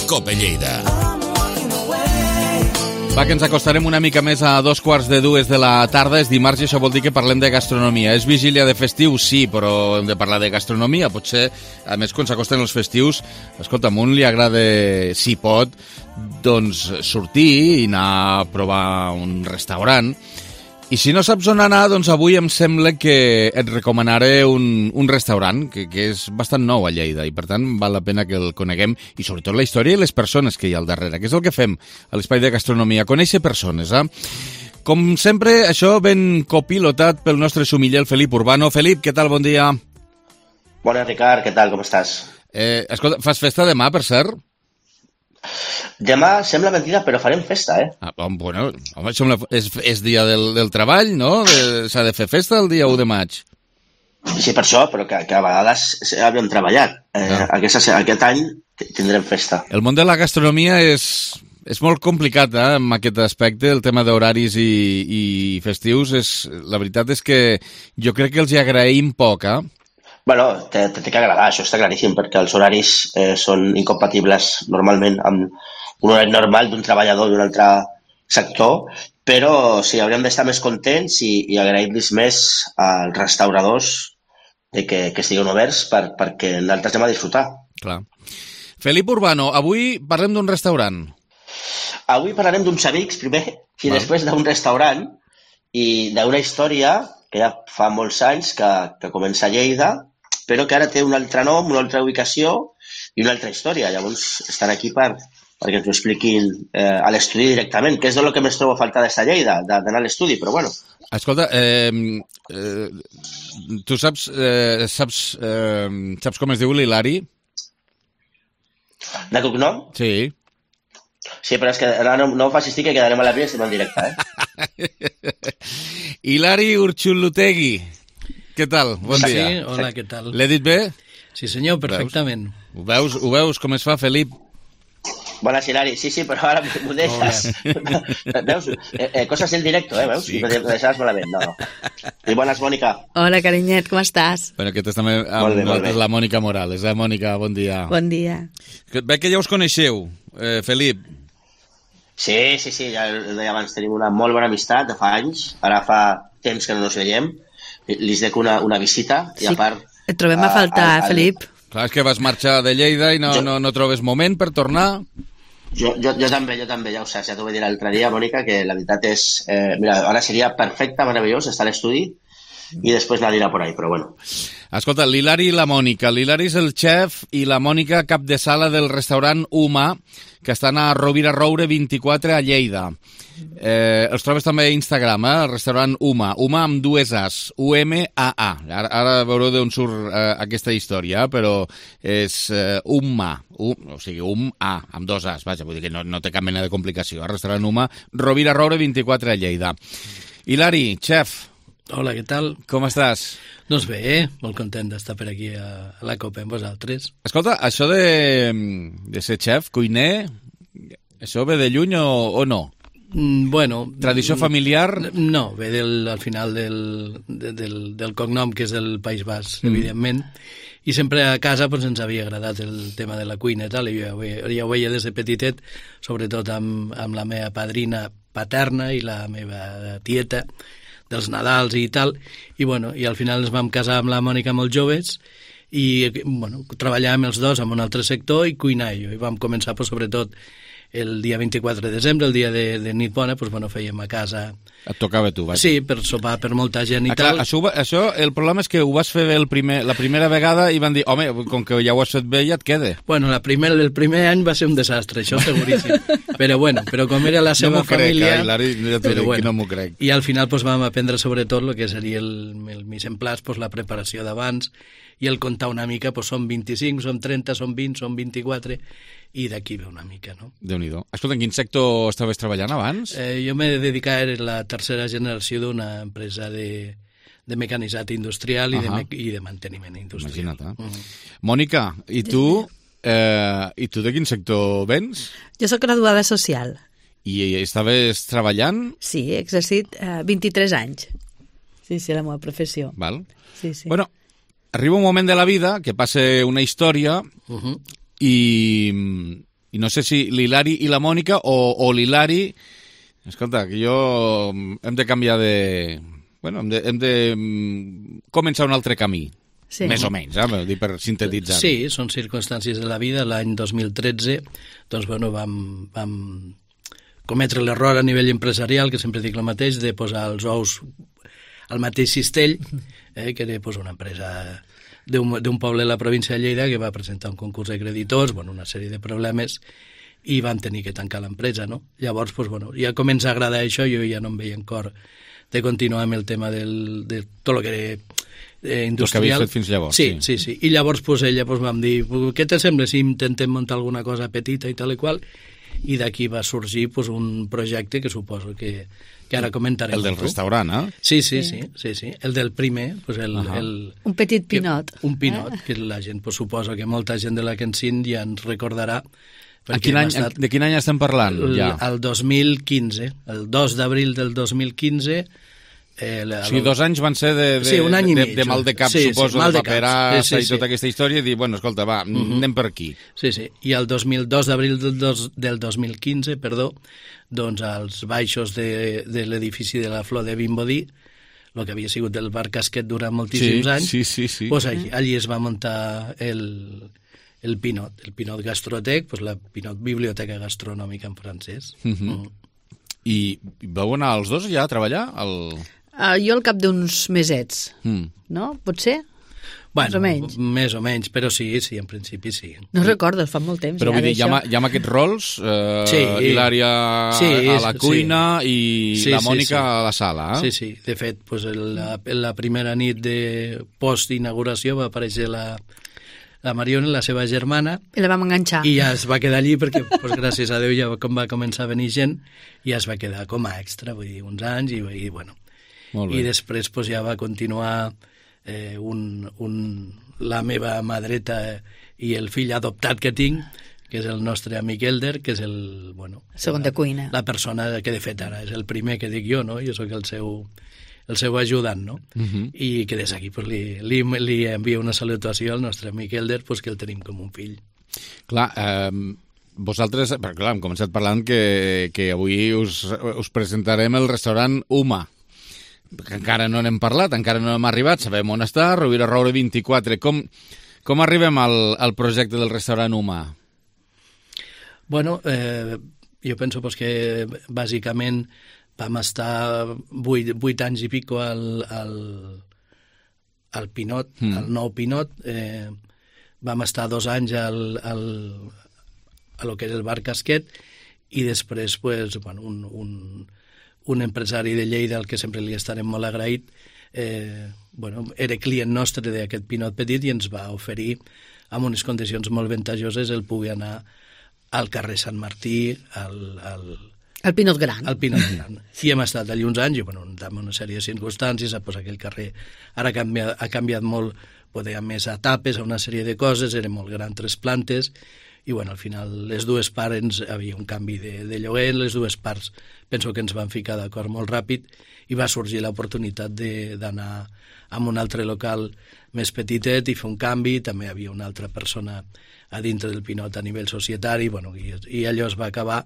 Speaker 1: Cope Lleida. Va, que ens acostarem una mica més a 2:45 de la tarda. És dimarts i això vol dir que parlem de gastronomia. És vigília de festiu? Sí, però hem de parlar de gastronomia. Potser, a més, quan s'acosten els festius, escolta, a un li agrada, si pot, doncs sortir i anar a provar un restaurant. I si no saps on anar, doncs avui em sembla que et recomanaré un restaurant que és bastant nou a Lleida i per tant val la pena que el coneguem i sobretot la història i les persones que hi ha al darrere, que és el que fem a l'Espai de Gastronomia, conèixer persones. Com sempre, això ben copilotat pel nostre sumiller, el Felip Urbano. Felip, què tal? Bon dia.
Speaker 5: Bona, Ricard, què tal? Com estàs?
Speaker 1: Escolta, fas festa demà, per cert?
Speaker 5: Demà sembla mentida, però farem festa, eh?
Speaker 1: Bueno, home, és dia del treball, no? S'ha de fer festa el dia 1 de maig.
Speaker 5: Sí, per això, però que a vegades havíem treballat. Aquest any tindrem festa.
Speaker 1: El món de la gastronomia és molt complicat, en aquest aspecte, el tema d'horaris i festius. La veritat és que jo crec que els hi agraïm poc,
Speaker 5: Bueno, té que agradar, això està claríssim, perquè els horaris són incompatibles normalment amb un horari normal d'un treballador d'un altre sector, però sí, hauríem d'estar més contents i agrair-los més als restauradors de que estiguin oberts perquè nosaltres anem a disfrutar.
Speaker 1: Clar. Felip Urbano, avui parlem d'un restaurant.
Speaker 5: Avui parlarem d'uns amics, primer, i després d'un restaurant i d'una història que ja fa molts anys que comença a Lleida, però que ara té un altre nom, una altra ubicació i una altra història. Llavors estan aquí perquè ens ho expliquin a l'estudi directament, que és el que més trobo a faltar d'esta Lleida, d'anar a l'estudi, però bueno.
Speaker 1: Escolta, tu saps com es diu l'Hilari?
Speaker 5: De cognom?
Speaker 1: Sí.
Speaker 5: Sí, però és que ara no facis que quedarem a la via i estem en directe,
Speaker 1: Hilari Urchulutegui. Què tal? Bon dia.
Speaker 6: Sí, hola, què tal?
Speaker 1: L'he dit bé?
Speaker 6: Sí, senyor, perfectament.
Speaker 1: Ho veus com es fa, Felip?
Speaker 5: Bones, Hilari. Sí, però ara m'ho deixes. Veus? Coses en directo, veus? Sí. M'ho deixaves malament, no. I bones, Mònica.
Speaker 7: Hola, carinyet, com estàs?
Speaker 1: Bueno, aquest és també amb la Mònica Morales. Mònica, bon dia.
Speaker 7: Bon dia.
Speaker 1: Veig que ja us coneixeu, Felip.
Speaker 5: Sí, ja ho deia abans, tenim una molt bona amistat de fa anys, ara fa temps que no ens veiem, li dec una visita i a part...
Speaker 7: Et trobem a faltar, Felip.
Speaker 1: Clar, és que vas marxar de Lleida i no trobes moment per tornar.
Speaker 5: Jo també, ja ho saps, ja t'ho vaig dir l'altre dia, Mònica, que la veritat és... mira, ara seria perfecte, meravellós, estar a l'estudi i després anar a dinar por ahí, però bueno.
Speaker 1: Escolta, l'Hilari i la Mònica. L'Hilari és el xef i la Mònica cap de sala del restaurant Uma, que estan a Rovira Roure 24 a Lleida. Els trobes també a Instagram, el restaurant Uma amb dues As, U-M-A-A. Ara veureu d'on surt aquesta història, però és Uma, o sigui, A, amb dos As, vaja, vull dir que no té cap mena de complicació. El restaurant Uma, Rovira Roure 24 a Lleida. Hilari, xef.
Speaker 6: Hola, què tal?
Speaker 1: Com estàs?
Speaker 6: Doncs bé, molt content d'estar per aquí a la Copa amb vosaltres.
Speaker 1: Escolta, això de ser xef, cuiner, això ve de lluny o no?
Speaker 6: Bueno...
Speaker 1: Tradició familiar?
Speaker 6: No, ve al final del cognom, que és del País Basc, evidentment. I sempre a casa ens havia agradat el tema de la cuina i tal, i ja ho veia des de petitet, sobretot amb la meva padrina paterna i la meva tieta, dels Nadals i tal, i al final ens vam casar amb la Mònica molt joves i treballàvem els dos en un altre sector i cuinar jo, i vam començar sobretot el dia 24 de desembre, el dia de nit bona, fèiem a casa.
Speaker 1: Et tocava tu, vaja.
Speaker 6: Sí, per sopar per molta gent i tal.
Speaker 1: Això, el problema és que ho vas fer bé la primera vegada i van dir, home, com que ja ho has fet bé, ja et queda.
Speaker 6: Bueno, el primer any va ser un desastre, això seguríssim. Però com era la seva família...
Speaker 1: No m'ho crec.
Speaker 6: I al final vam aprendre sobretot el que seria el mise en place, la preparació d'abans, i el contar una mica, són 25, són 30, són 20, són 24... i d'aquí ve una mica, no?
Speaker 1: Déu-n'hi-do. Escolta, en quin sector estaves treballant abans?
Speaker 6: Jo m'he dedicat a la tercera generació d'una empresa de mecanitzat industrial i de manteniment industrial.
Speaker 1: Imagina't, Mònica, i tu de quin sector vens?
Speaker 7: Jo sóc graduada social.
Speaker 1: I estaves treballant?
Speaker 7: Sí, he exercit 23 anys. Sí, la meva professió.
Speaker 1: Val.
Speaker 7: Sí.
Speaker 1: Bueno, arriba un moment de la vida que passa una història i no sé si l'Hilari i la Mònica o l'Hilari Escolta, que jo hem de canviar de... Bueno, hem de començar un altre camí. Sí. Més o menys, dir per sintetitzar.
Speaker 6: Sí, són circumstàncies de la vida. L'any 2013 doncs, bueno, vam cometre l'error a nivell empresarial, que sempre dic el mateix, de posar els ous al mateix cistell, que era una empresa d'un poble de la província de Lleida que va presentar un concurs de creditors, una sèrie de problemes, i van tenir que tancar l'empresa, no? Llavors, ja comença a agradar això, jo ja no em veia en cor de continuar amb el tema de tot el que era industrial.
Speaker 1: El que havies fet fins llavors.
Speaker 6: Sí. I llavors ella vam dir, què te sembla si intentem muntar alguna cosa petita i tal i qual? I d'aquí va sorgir un projecte que suposo que ara comentarem.
Speaker 1: El del restaurant, eh?
Speaker 6: Sí. El del primer.
Speaker 7: Un petit pinot.
Speaker 6: Un pinot, que la gent suposa que molta gent de la Kensin ja ens recordarà.
Speaker 1: De quin any estem parlant?
Speaker 6: El 2015, el 2 d'abril del 2015.
Speaker 1: O sigui, 2 anys van ser
Speaker 6: un any i mig,
Speaker 1: de mal de cap, suposo, de paperassa i tota aquesta història, i dir, escolta, va, anem per aquí.
Speaker 6: Sí. I el 2 d'abril del 2015, doncs als baixos de l'edifici de la Flor de Vimbodí, el que havia sigut el bar Casquet durant moltíssims anys, doncs allí es va muntar el Pinot Gastrotec, la Pinot Biblioteca Gastronòmica en francès.
Speaker 1: I vau anar els dos ja a treballar?
Speaker 7: Jo al cap d'uns mesets, no? Pot ser?
Speaker 6: Més o menys, però sí, en principi sí.
Speaker 7: No recordo, fa molt temps.
Speaker 1: Però vull dir, hi ha amb aquests rols, Hilària a la cuina i la Mònica a la sala.
Speaker 6: Sí. De fet, la primera nit de post-inauguració va aparèixer la Mariona, la seva germana.
Speaker 7: I la vam enganxar.
Speaker 6: I ja es va quedar allí perquè, gràcies a Déu, ja va començar a venir gent i ja es va quedar com a extra, vull dir, uns anys i bueno. I després ja va continuar la meva mà dreta i el fill adoptat que tinc, que és el nostre amic Elder, que és el
Speaker 7: segon de cuina.
Speaker 6: La persona que de fet ara és el primer que dic jo, no? Jo sóc el seu ajudant, no? I que des d'aquí li envia una salutació al nostre amic Elder, que el tenim com un fill.
Speaker 1: Clar, vosaltres, hem començat parlant que avui us presentarem el restaurant Uma, que encara no n'hem parlat, encara no hem arribat, sabem on està, Rovira Roure 24. Com arribem al projecte del restaurant Uma?
Speaker 6: Bueno, jo penso que bàsicament vam estar 8 anys i pico al Pinot, al nou Pinot. Vam estar 2 anys a lo que és el bar Casquet i després un empresari de Lleida al que sempre li estarem molt agraït, era client nostre d'aquest Pinot Petit i ens va oferir amb unes condicions molt ventajoses el poder anar al carrer Sant Martí,
Speaker 7: el Pinot Gran.
Speaker 6: El Pinot Gran. I hem estat allà uns anys i, amb una sèrie de circumstàncies, aquell carrer ara ha canviat molt, hi ha més etapes, una sèrie de coses, era molt gran, 3 plantes, i al final les dues parts havia un canvi de lloguer, les dues parts penso que ens van ficar d'acord molt ràpid i va sorgir l'oportunitat d'anar a un altre local més petitet i fer un canvi. També hi havia una altra persona a dintre del Pinot a nivell societari, i allò es va acabar,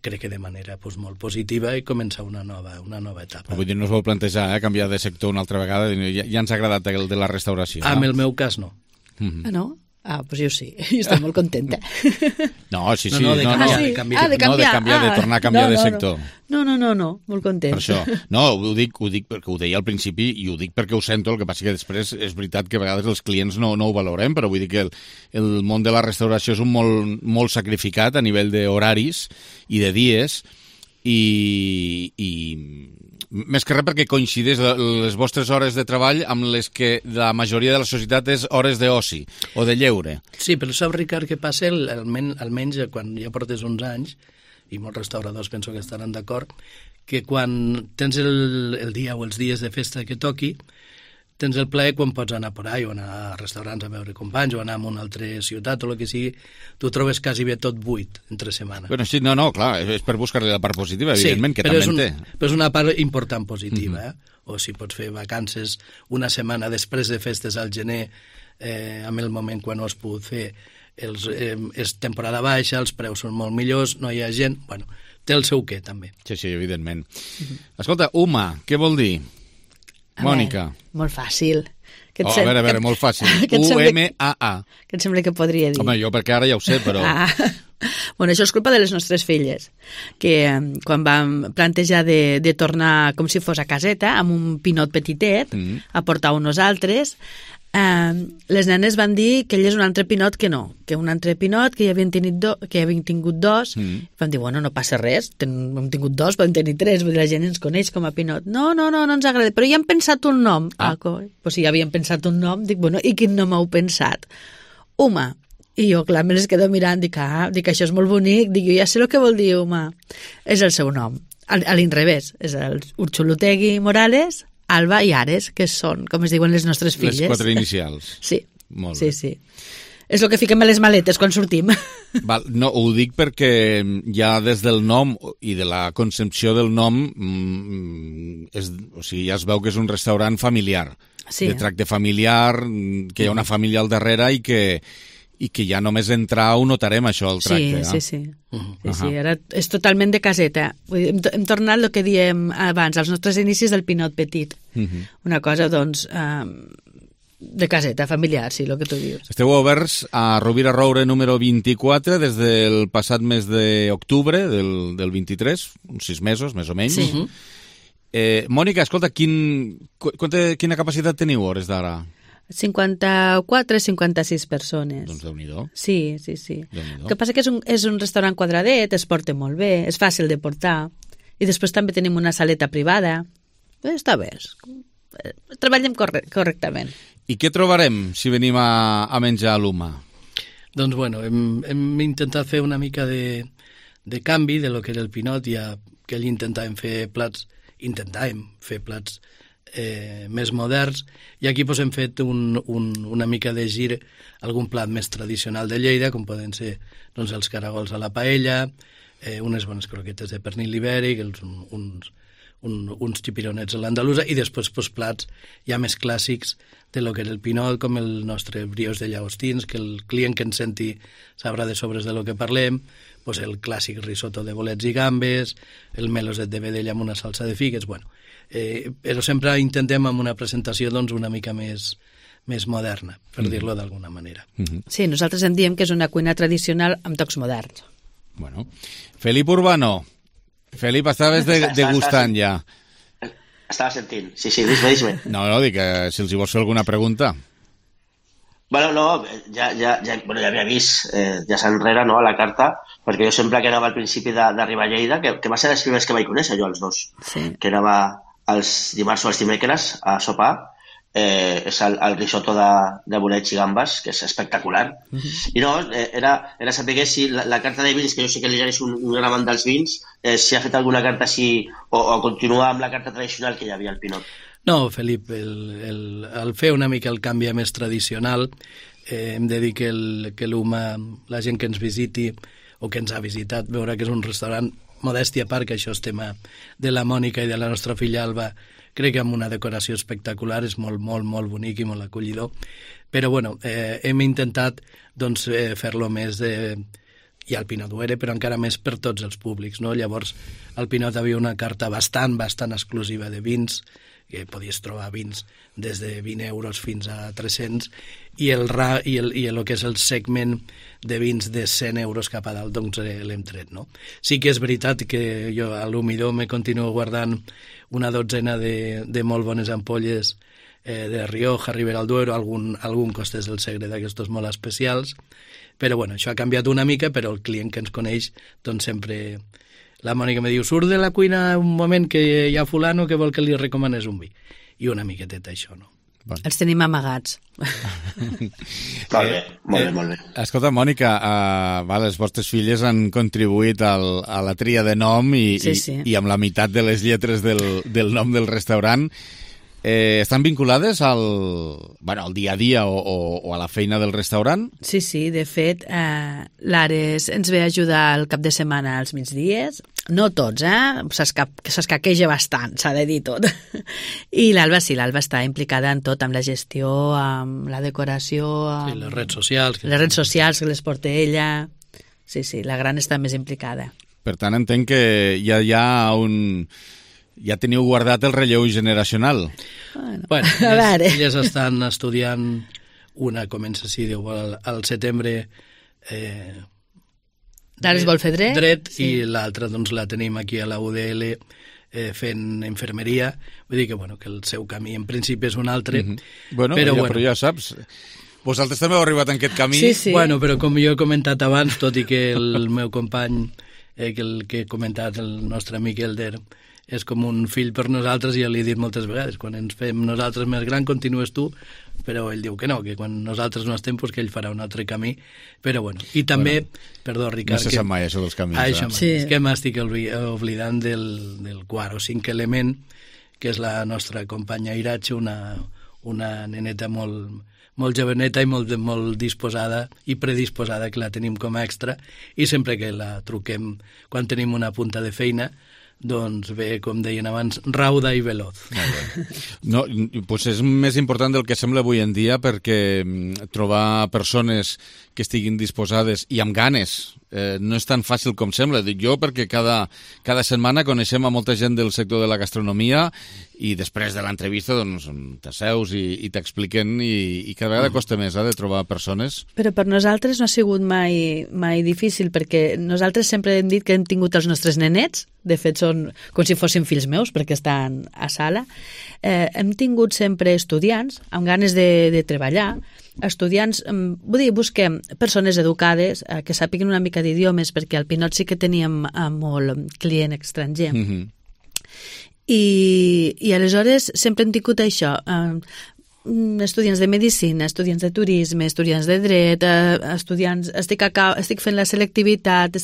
Speaker 6: crec que de manera molt positiva, i començar una nova etapa.
Speaker 1: Vull dir, no us vau plantejar canviar de sector una altra vegada? Ja ens ha agradat el de la restauració.
Speaker 6: En el meu cas no.
Speaker 7: No? Doncs jo sí, jo estic molt contenta.
Speaker 1: No, sí.
Speaker 6: De canviar,
Speaker 1: de tornar a canviar de sector.
Speaker 7: No, molt content.
Speaker 1: Per això. No, ho dic perquè ho deia al principi i ho dic perquè ho sento, el que passa que després és veritat que a vegades els clients no ho valorem, però vull dir que el món de la restauració és un molt sacrificat a nivell d'horaris i de dies i més que res perquè coincideix les vostres hores de treball amb les que la majoria de la societat és hores d'oci o de lleure.
Speaker 6: Sí, però saps, Ricard, què passa? Almenys quan ja portes uns anys, i molts restauradors penso que estaran d'acord, que quan tens el dia o els dies de festa que toqui, tens el plaer quan pots anar por ahí o anar a restaurants a veure companys o anar a una altra ciutat o el que sigui, tu trobes quasi bé tot buit entre setmana.
Speaker 1: Bueno, sí, no, clar, és per buscar-li la part positiva, evidentment, que també en té.
Speaker 6: Però és una part important positiva, o si pots fer vacances una setmana després de festes al gener, en el moment quan ho has pogut fer, és temporada baixa, els preus són molt millors, no hi ha gent, té el seu què, també.
Speaker 1: Sí, evidentment. Escolta, UMA, què vol dir? Mònica.
Speaker 7: Molt fàcil.
Speaker 1: A veure, molt fàcil. U-M-A-A.
Speaker 7: Què et sembla que podria dir?
Speaker 1: Home, jo perquè ara ja ho sé, però...
Speaker 7: Bueno, això és culpa de les nostres filles, que quan vam plantejar de tornar com si fos a caseta, amb un pinot petitet, a portar uns altres, les nenes van dir que ell és un altre pinot que no, que un altre pinot que ja havien tingut dos, van dir, bueno, no passa res, hem tingut dos, podem tenir tres, vull dir, la gent ens coneix com a pinot. No ens agrada, però ja hem pensat un nom. Pues si ja havien pensat un nom, dic, bueno, i quin nom heu pensat? UMA. I jo, clar, me les quedo mirant, dic, això és molt bonic, dic, jo ja sé el que vol dir UMA. És el seu nom, a l'inrevés, és el Urxulutegui Morales, Alba i Ares, que són, com es diuen les nostres filles.
Speaker 1: Les 4 inicials.
Speaker 7: Sí.
Speaker 1: Molt bé.
Speaker 7: Sí. És el que fiquem a les maletes quan sortim.
Speaker 1: Val, no, ho dic perquè ja des del nom i de la concepció del nom o sigui, ja es veu que és un restaurant familiar, de tracte familiar, que hi ha una família al darrere i que ja només entrar ho notarem, això, el tracte.
Speaker 7: Sí, ara és totalment de caseta. Hem tornat el que diem abans, als nostres inicis del pinot petit. Una cosa, doncs, de caseta, familiar, sí, el que tu dius.
Speaker 1: Esteu oberts a Rovira Roure número 24 des del passat mes d'octubre del 23, uns 6 mesos, més o menys. Mònica, escolta, quina capacitat teniu hores d'ara?
Speaker 7: 54-56 persones.
Speaker 1: Doncs Déu-n'hi-do.
Speaker 7: Sí. El que passa que és un restaurant quadradet, es porta molt bé, és fàcil de portar, i després també tenim una saleta privada. Està bé, treballem correctament.
Speaker 1: I què trobarem si venim a menjar a l'UMA?
Speaker 6: Doncs bueno, hem intentat fer una mica de canvi de lo que era el pinot, ja que ell intentàvem fer plats més moderns, i aquí doncs, hem fet una mica de gir algun plat més tradicional de Lleida, com poden ser doncs, els caragols a la paella, unes bones croquetes de pernil ibèric, uns xipironets a l'andalusa, i després doncs, plats ja més clàssics de lo que era el pinot, com el nostre briós de llagostins, que el client que ens senti sabrà de sobres de lo que parlem, doncs, el clàssic risotto de bolets i gambes, el meloset de vedella amb una salsa de figues, bueno, però sempre intentem amb una presentació doncs, una mica més moderna, per dir-lo d'alguna manera.
Speaker 7: Sí, nosaltres en diem que és una cuina tradicional amb tocs moderns.
Speaker 1: Bueno. Felip Urbano. Felip, estaves degustant ja.
Speaker 5: Estava sentint. Sí, dis-me.
Speaker 1: No, dic que si els hi vols fer alguna pregunta.
Speaker 5: Bueno, no, ja havia vist ja s'enrere, no, a la carta, perquè jo sempre que anava al principi d'arribar a Lleida, que va ser els primers que vaig conèixer jo, els dos, que anava els dimarts o els dimecres a sopar, és el risotto de bolets i gambes, que és espectacular. I no, era saber que si la carta de vins, que jo sé que l'Ijan és un gran amant dels vins, si ha fet alguna carta així, o continua amb la carta tradicional que hi havia al Pinot.
Speaker 6: No, Felip, al fer una mica el canvi més tradicional, hem de dir que l'UMA, la gent que ens visiti o que ens ha visitat, veurà que és un restaurant modèstia a part, que això és tema de la Mònica i de la nostra filla Alba, crec que amb una decoració espectacular, és molt, molt, molt bonic i molt acollidor, però bueno, hem intentat doncs, fer-lo més i al Pinot Duere, però encara més per tots els públics, no? Llavors al Pinot havia una carta bastant exclusiva de vins, que podies trobar vins des de 20 euros fins a 300, i el que és el segment de vins de 100 euros cap a dalt, doncs l'hem tret, no? Sí que és veritat que jo a l'humidor me continuo guardant una dotzena de molt bones ampolles de Rioja, Ribera del Duero, algun Costes del Segre d'aquestos molt especials, però bueno, això ha canviat una mica, però el client que ens coneix, doncs sempre... La Mònica me diu, surt de la cuina un moment que hi ha fulano que vol que li recomanes un vi. I una miqueteta això, no?
Speaker 7: Bueno. Els tenim amagats.
Speaker 5: Molt bé.
Speaker 1: Escolta, Mònica, les vostres filles han contribuït a la tria de nom i amb la meitat de les lletres del nom del restaurant. Estan vinculades al dia a dia o a la feina del restaurant?
Speaker 7: Sí, de fet, l'Ares ens ve a ajudar el cap de setmana als migdies, no tots, s'escaqueja bastant, s'ha de dir tot. I l'Alba està implicada en tot, amb la gestió, amb la decoració...
Speaker 6: Sí, les redes socials.
Speaker 7: Les redes socials que les porta ella... Sí, la gran està més implicada.
Speaker 1: Per tant, entenc que ja hi ha ja teniu guardat el relleu generacional.
Speaker 6: Bueno, elles estan estudiant, una comença, si diu, al setembre
Speaker 7: Ara es vol fer dret
Speaker 6: sí. I l'altra doncs la tenim aquí a la UDL fent infermeria, vull dir que, bueno, que el seu camí en principi és un altre.
Speaker 1: Però ja saps, vosaltres també heu arribat en aquest camí.
Speaker 7: Sí.
Speaker 6: Bueno, però com jo he comentat abans, tot i que el meu company, el que he comentat, el nostre amic Elder, és com un fill per nosaltres, i ja li he dit moltes vegades, quan ens fem nosaltres més gran continues tu, però ell diu que no, que quan nosaltres no estem, pues que ell farà un altre camí, però bueno, i també, perdó Ricard,
Speaker 1: no se sap mai això dels camins,
Speaker 6: és que m'estic oblidant del quart o cinc element, que és la nostra companya Iratxe, una neneta molt joveneta i molt disposada i predisposada, que la tenim com a extra, i sempre que la truquem quan tenim una punta de feina, doncs ve, com deien abans, rauda i veloz.
Speaker 1: No, pues és més important del que sembla avui en dia, perquè trobar persones que estiguin disposades i amb ganes no és tan fàcil com sembla. Dic jo perquè cada setmana coneixem a molta gent del sector de la gastronomia i després de l'entrevista doncs t'asseus i t'expliquen i cada vegada costa més de trobar persones.
Speaker 7: Però per nosaltres no ha sigut mai difícil, perquè nosaltres sempre hem dit que hem tingut els nostres nenets, de fet són com si fossin fills meus perquè estan a sala. Hem tingut sempre estudiants amb ganes de treballar, estudiants, vull dir, busquem persones educades que sàpiguen una mica d'idiomes, perquè al Pinot sí que teníem molt client estranger. I aleshores sempre hem tingut això, estudiants de medicina, estudiants de turisme, estudiants de dret, estudiants, estic fent la selectivitat,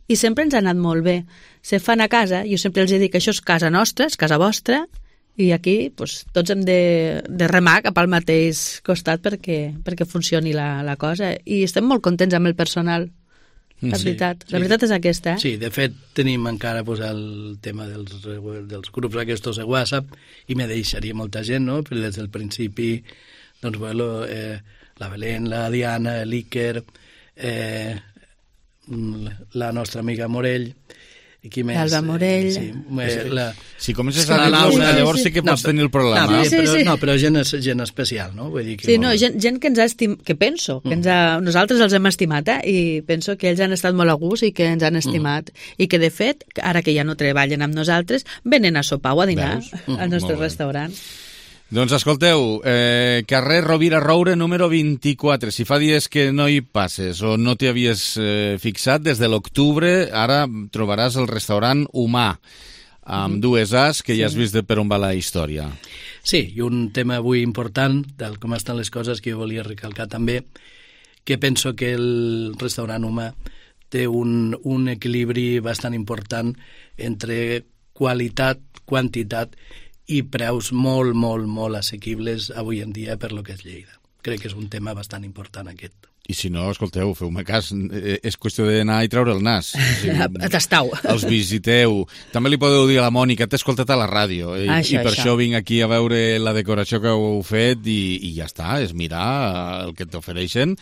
Speaker 7: i sempre ens ha anat molt bé. Se fan a casa, jo sempre els dic que això és casa nostra, és casa vostra, i aquí doncs, tots hem de remar cap al mateix costat perquè funcioni la cosa, i estem molt contents amb el personal, la veritat. La veritat és aquesta.
Speaker 6: Sí, de fet tenim encara el tema dels grups aquests de WhatsApp, i me deixaria molta gent, no? Però des del principi doncs, bueno, la Belén, la Diana, l'Iker, la nostra amiga Morell,
Speaker 7: l'Alba Morell.
Speaker 1: Si comences a dir llavors sí que pots tenir el problema.
Speaker 6: No, però gent especial, no? Vull dir que
Speaker 7: sí, no, gent que ens ha estimat, que penso, que nosaltres els hem estimat, i penso que ells han estat molt a gust i que ens han estimat, i que de fet, ara que ja no treballen amb nosaltres, venen a sopar o a dinar al nostre restaurant.
Speaker 1: Doncs escolteu, carrer Rovira Roure número 24, si fa dies que no hi passes o no t'hi havies fixat, des de l'octubre ara trobaràs el restaurant Humà, amb dues As, que ja has vist per on va la història.
Speaker 6: Sí, i un tema avui important, del com estan les coses, que jo volia recalcar també, que penso que el restaurant Humà té un equilibri bastant important entre qualitat, quantitat i preus molt, molt, molt assequibles avui en dia per lo que és Lleida. Crec que és un tema bastant important aquest.
Speaker 1: I si no, escolteu, feu-me cas, és qüestió d'anar i treure el nas.
Speaker 7: Tastau.
Speaker 1: Els visiteu. També li podeu dir a la Mònica, t'he escoltat a la ràdio, i per això vinc aquí a veure la decoració que heu fet, i ja està, és mirar el que t'ofereixen,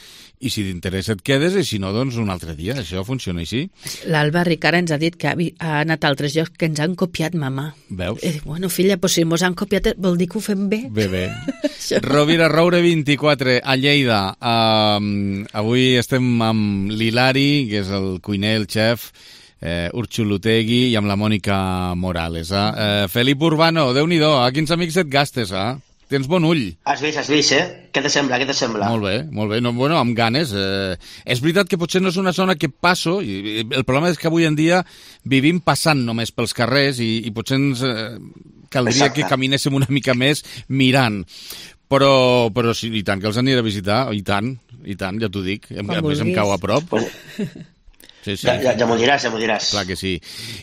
Speaker 1: i si t'interessa et quedes, i si no, doncs un altre dia. Això funciona així.
Speaker 7: L'Alba Ricard ens ha dit que ha anat a altres llocs que ens han copiat, mamà.
Speaker 1: Veus?
Speaker 7: Bueno, filla, pues si mos han copiat, vol dir que ho fem bé.
Speaker 1: Bé. Rovira Roure 24, a Lleida. Avui estem amb l'Hilari, que és el cuiner, el xef, Urxulutegui, i amb la Mònica Morales. Felip Urbano, Déu-n'hi-do, a quins amics et gastes, Tens bon ull.
Speaker 5: Has vist, Què te sembla?
Speaker 1: Molt bé. No, bueno, amb ganes. És veritat que potser no és una zona que passo, i el problema és que avui en dia vivim passant només pels carrers, i potser ens caldria que caminéssim una mica més mirant. Però sí, i tant que els aniré a visitar, i tant, ja t'ho dic. A més em cau a prop. Sí.
Speaker 5: Ja m'ho diràs.
Speaker 1: Clar que sí.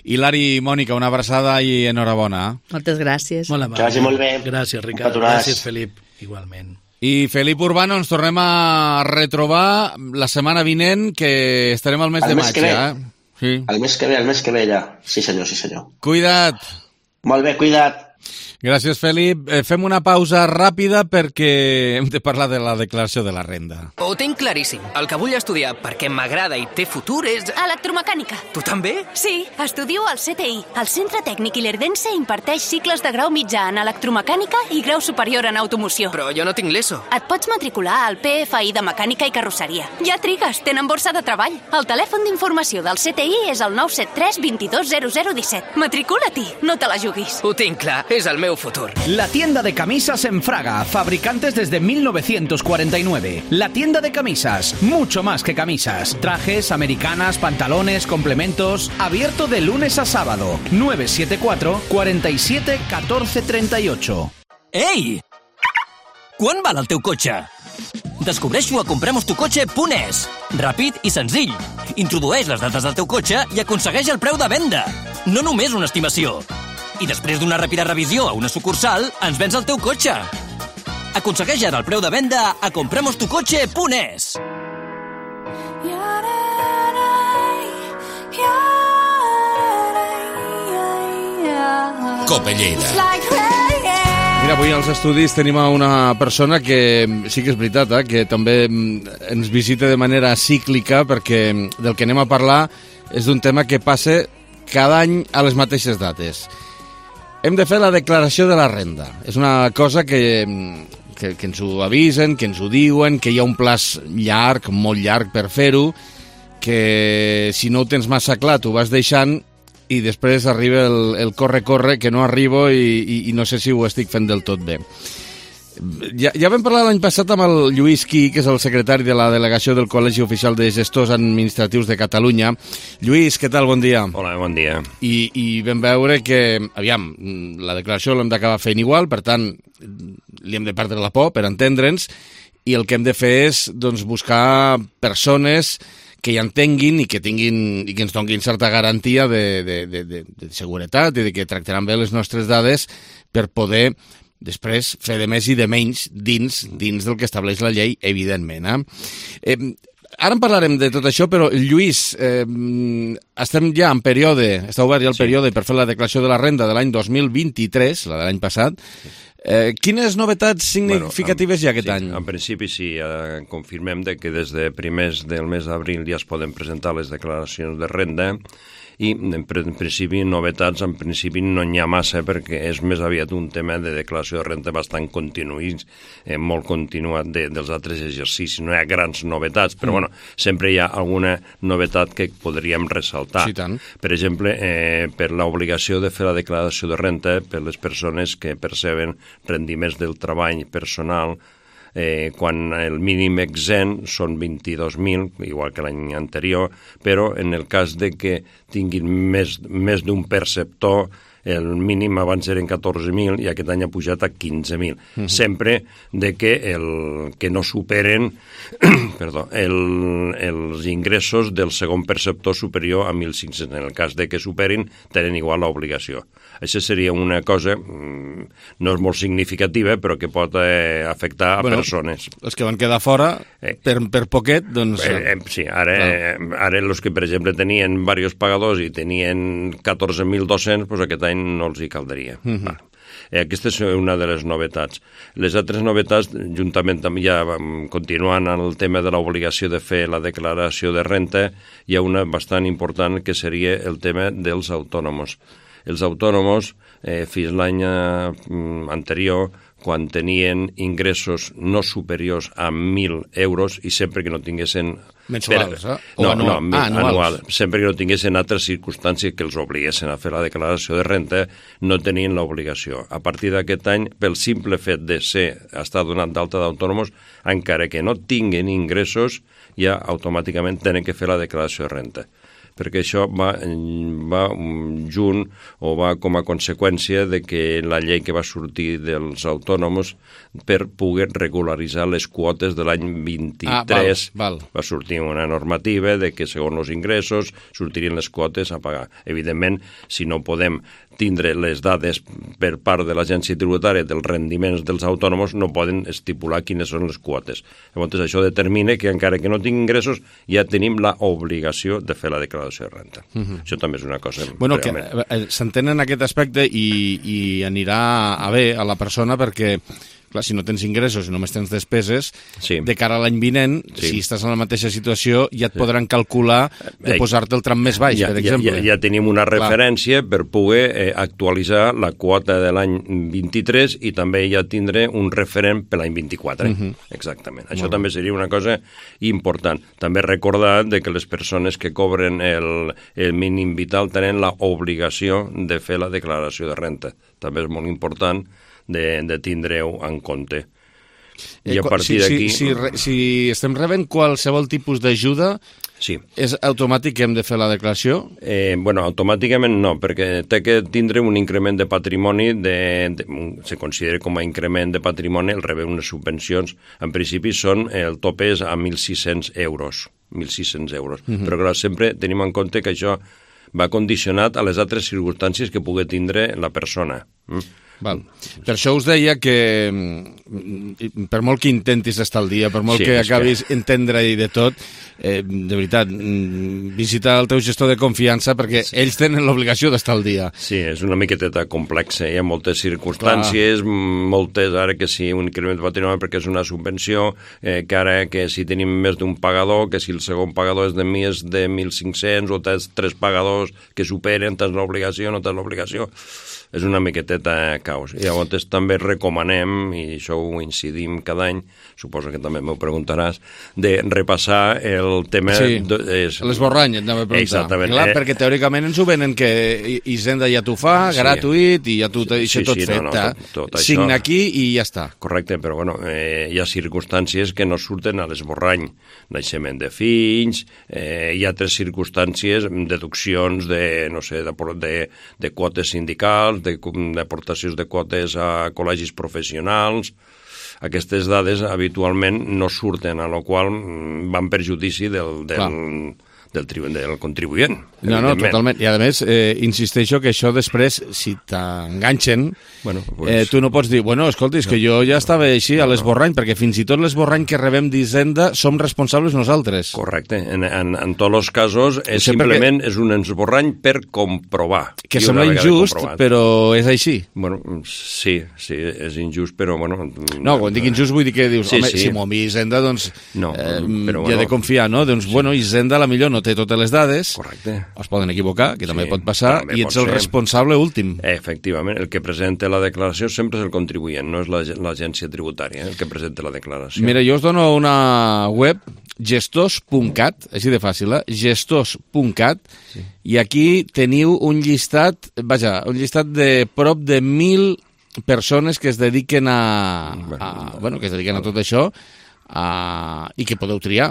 Speaker 1: Hilari, Mònica, una abraçada i enhorabona.
Speaker 7: Moltes gràcies.
Speaker 6: Molt amable.
Speaker 5: Que vagi molt bé.
Speaker 6: Gràcies, Ricard. Gràcies, Felip. Igualment.
Speaker 1: I Felip Urbano, ens tornem a retrobar la setmana vinent, que estarem al mes de maig,
Speaker 5: Sí. El mes que ve ja. Sí senyor.
Speaker 1: Cuida't.
Speaker 5: Molt bé, cuida't.
Speaker 1: Gràcies, Felip. Fem una pausa ràpida perquè hem de parlar de la declaració de la renda.
Speaker 8: Ho tinc claríssim. El que vull estudiar perquè m'agrada i té futur és...
Speaker 9: Electromecànica.
Speaker 8: Tu també?
Speaker 9: Sí, estudio al CTI. El Centre Tècnic Ilerdense imparteix cicles de grau mitjà en electromecànica i grau superior en automoció.
Speaker 8: Però jo no tinc l'ESO.
Speaker 9: Et pots matricular al PFI de Mecànica i Carrosseria. Ja trigues, tenen borsa de treball. El telèfon d'informació del CTI és el 973 22 0017. Matricula-t'hi, no te la juguis.
Speaker 8: Ho tinc clar, és el meu futuro.
Speaker 10: La tienda de camisas en Fraga, fabricantes desde 1949. La tienda de camisas, mucho más que camisas. Trajes, americanas, pantalones, complementos. Abierto de lunes a sábado. 974 47 14 38.
Speaker 11: Ei! Quan val el teu cotxe? Descobreix-ho a compremostucotxe.es. Ràpid i senzill. Introdueix les dades del teu cotxe i aconsegueix el preu de venda. No només una estimació. I després d'una ràpida revisió a una sucursal, ens vens el teu cotxe. Aconsegueix ara el preu de venda a compremostucotxe.es.
Speaker 1: Cope Lleida. Mira, avui als estudis tenim una persona que sí que és veritat, que també ens visita de manera cíclica, perquè del que anem a parlar és d'un tema que passa cada any a les mateixes dates. Hem de fer la declaració de la renda. És una cosa que ens ho avisen, que ens ho diuen, que hi ha un plaç llarg, molt llarg per fer-ho, que si no ho tens massa clar t'ho vas deixant i després arriba el corre-corre, que no arribo i no sé si ho estic fent del tot bé. Ja vam parlar l'any passat amb el Lluís Qui, que és el secretari de la delegació del Col·legi Oficial de Gestors Administratius de Catalunya. Lluís, què tal? Bon dia.
Speaker 12: Hola, bon dia.
Speaker 1: I vam veure que, aviam, la declaració l'hem d'acabar fent igual, per tant, li hem de perdre la por per entendre'ns, i el que hem de fer és doncs, buscar persones que hi entenguin i que ens donin certa garantia de seguretat i de que tractaran bé les nostres dades per poder després fer de més i de menys dins del que estableix la llei, evidentment. Ara en parlarem de tot això, però Lluís, estem ja en període, està obert ja el període per fer la declaració de la renda de l'any 2023, la de l'any passat. Quines novetats significatives hi ha aquest any?
Speaker 12: En principi sí, confirmem que des de primers del mes d'abril ja es poden presentar les declaracions de renda i en principi novetats en principi no n'hi ha massa perquè és més aviat un tema de declaració de renda bastant continuït, molt continuat dels altres exercicis. No hi ha grans novetats, però bueno, sempre hi ha alguna novetat que podríem ressaltar.
Speaker 1: Sí, tant.
Speaker 12: Per exemple, per l'obligació de fer la declaració de renda per les persones que perceben rendiments del treball personal, quan el mínim exempt són 22.000, igual que l'any anterior, però en el cas de que tinguin més d'un perceptor, el mínim abans eren 14.000 i aquest any ha pujat a 15.000. Sempre de que no superen els ingressos del segon perceptor superior a 1.500. En el cas de que superin, tenen igual l'obligació. Això seria una cosa, no és molt significativa, però que pot afectar a persones.
Speaker 1: Els que van quedar fora, per poquet, doncs...
Speaker 12: Sí, ara els que, per exemple, tenien diversos pagadors i tenien 14.200, doncs aquest any no els hi caldria. Aquesta és una de les novetats. Les altres novetats, juntament també ja continuant el tema de l'obligació de fer la declaració de renda, hi ha una bastant important que seria el tema dels autònoms. Els autònoms, fins l'any anterior, quan tenien ingressos no superiors a 1.000 euros i sempre que no tinguessin...
Speaker 1: Mensuals,
Speaker 12: anual. Sempre que no tinguessin altres circumstàncies que els obliguessin a fer la declaració de renda, no tenien l'obligació. A partir d'aquest any, pel simple fet de estar donat d'alta d'autònoms, encara que no tinguin ingressos, ja automàticament tenen que fer la declaració de renda. Perquè això va junt o va com a conseqüència de que la llei que va sortir dels autònoms per poder regularitzar les quotes de l'any 23 va sortir una normativa de que segons els ingressos sortirien les quotes a pagar. Evidentment, si no podem tindre les dades per part de l'agència tributària dels rendiments dels autònoms, no poden estipular quines són les quotes. Llavors, això determina que encara que no tinguin ingressos ja tenim l'obligació de fer la declaració declaració de renta. Això també és una cosa...
Speaker 1: Bueno, que s'entén en aquest aspecte i anirà a bé a la persona perquè, clar, si no tens ingressos i només tens despeses, de cara a l'any vinent, si estàs en la mateixa situació, ja et podran calcular de posar-te el tram més baix, per exemple.
Speaker 12: Ja tenim una referència per poder actualitzar la quota de l'any 23 i també ja tindré un referent per l'any 24. Exactament. Això també seria una cosa important. També recordar que les persones que cobren el mínim vital tenen l'obligació de fer la declaració de renta. També és molt important de tindre-ho en compte. I a partir d'aquí...
Speaker 1: Si estem rebent qualsevol tipus d'ajuda, és automàtic que hem de fer la declaració?
Speaker 12: Bueno, automàticament no, perquè té que tindre un increment de patrimoni, se considera com a increment de patrimoni, el rebre unes subvencions. En principi el tope és a 1.600 euros. 1.600 euros. Però clar, sempre tenim en compte que això va condicionat a les altres circumstàncies que pugui tindre la persona.
Speaker 1: Val. Per això us deia que per molt que intentis estar al dia, per molt que acabis entendre-hi de tot, de veritat, visita el teu gestor de confiança perquè ells tenen l'obligació d'estar al dia.
Speaker 12: Sí, és una miqueteta complexa, hi ha moltes circumstàncies, moltes, ara que si un increment de patrimoni perquè és una subvenció, que ara que si tenim més d'un pagador, que si el segon pagador és de més de 1.500 o tens 3 pagadors que superen, tens l'obligació, no tens l'obligació. És una miqueteta caos. I llavors també recomanem, i això ho incidim cada any, suposo que també m'ho preguntaràs, de repassar el tema...
Speaker 1: Sí, l'esborrany, et anava a preguntar.
Speaker 12: Exactament.
Speaker 1: Clar, perquè teòricament ens ho venen que Hisenda ja t'ho fa, gratuït, i ja t'ho deixa tot fet. Signa aquí i ja està.
Speaker 12: Correcte, però bueno, hi ha circumstàncies que no surten a l'esborrany. Naixement de fills, hi ha altres circumstàncies, deduccions de, no sé, de quotes sindicals, d'aportacions de quotes a col·legis professionals. Aquestes dades habitualment no surten, a la qual van per judici del contribuent.
Speaker 1: No, totalment. I a més, insisteixo que això després, si t'enganxen, tu no pots dir, escolta, és que jo ja estava així a l'esborrany, perquè fins i tot l'esborrany que rebem d'Hisenda som responsables nosaltres.
Speaker 12: Correcte. En tots els casos, simplement és un esborrany per comprovar.
Speaker 1: Que sembla injust, però és així.
Speaker 12: Bueno, sí, és injust, però bueno...
Speaker 1: No, quan dic injust vull dir que dius, home, si m'ho envia Hisenda, doncs hi ha de confiar, no? Doncs, Hisenda a la millor no té totes les dades, es poden equivocar, que també pot passar, i ets el responsable últim.
Speaker 12: Efectivament, el que presenta la declaració sempre és el contribuent, no és l'agència tributària el que presenta la declaració.
Speaker 1: Mira, jo us dono una web, gestors.cat, així de fàcil, gestors.cat, i aquí teniu un llistat de prop de 1.000 persones que es dediquen a tot això, i que podeu triar,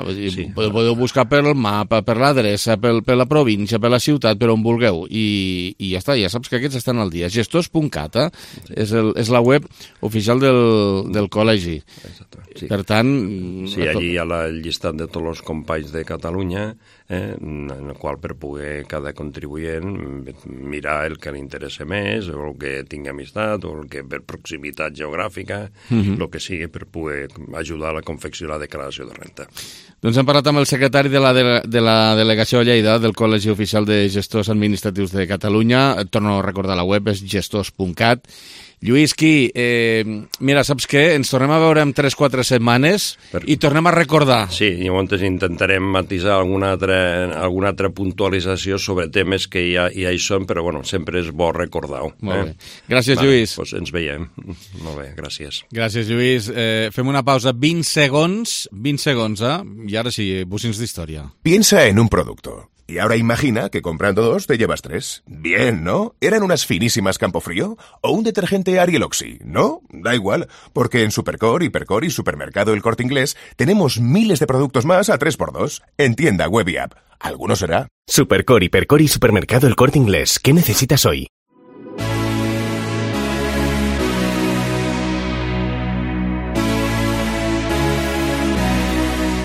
Speaker 1: podeu buscar per el mapa, per l'adreça, per la província, per la ciutat, per on vulgueu, i ja està, ja saps que aquests estan al dia. Gestors.cat és la web oficial del col·legi. Per tant...
Speaker 12: Sí, allí hi ha el llistat de tots els companys de Catalunya, en el qual per poder cada contribuent mirar el que li interessa més, o el que tingui amistat, o el que per proximitat geogràfica, el que sigui per poder ajudar a la confecció de la declaració de renta.
Speaker 1: Doncs hem parlat amb el secretari de la delegació a Lleida del Col·legi Oficial de Gestors Administratius de Catalunya. Et torno a recordar la web, és gestors.cat. Lluís, mira, saps què? Ens tornem a veure en 3-4 setmanes i tornem a recordar.
Speaker 12: Sí, llavors intentarem matisar alguna altra puntualització sobre temes que ja hi són, però bueno, sempre és bo recordar-ho.
Speaker 1: Molt bé. Gràcies, Lluís.
Speaker 12: Doncs ens veiem. Molt bé, gràcies.
Speaker 1: Gràcies, Lluís. Fem una pausa, 20 segons, y ahora sí, bucins d'història.
Speaker 2: Piensa en un producto. Y ahora imagina que comprando 2 te llevas 3. Bien, ¿no? ¿Eran unas finísimas Campofrío? ¿O un detergente Ariel Oxy? ¿No? Da igual, porque en Supercore, Hipercore y Supermercado El Corte Inglés tenemos miles de productos más a 3x2. En tienda, web y app. ¿Alguno será?
Speaker 4: Supercore, Hipercore y Supermercado El Corte Inglés. ¿Qué necesitas hoy?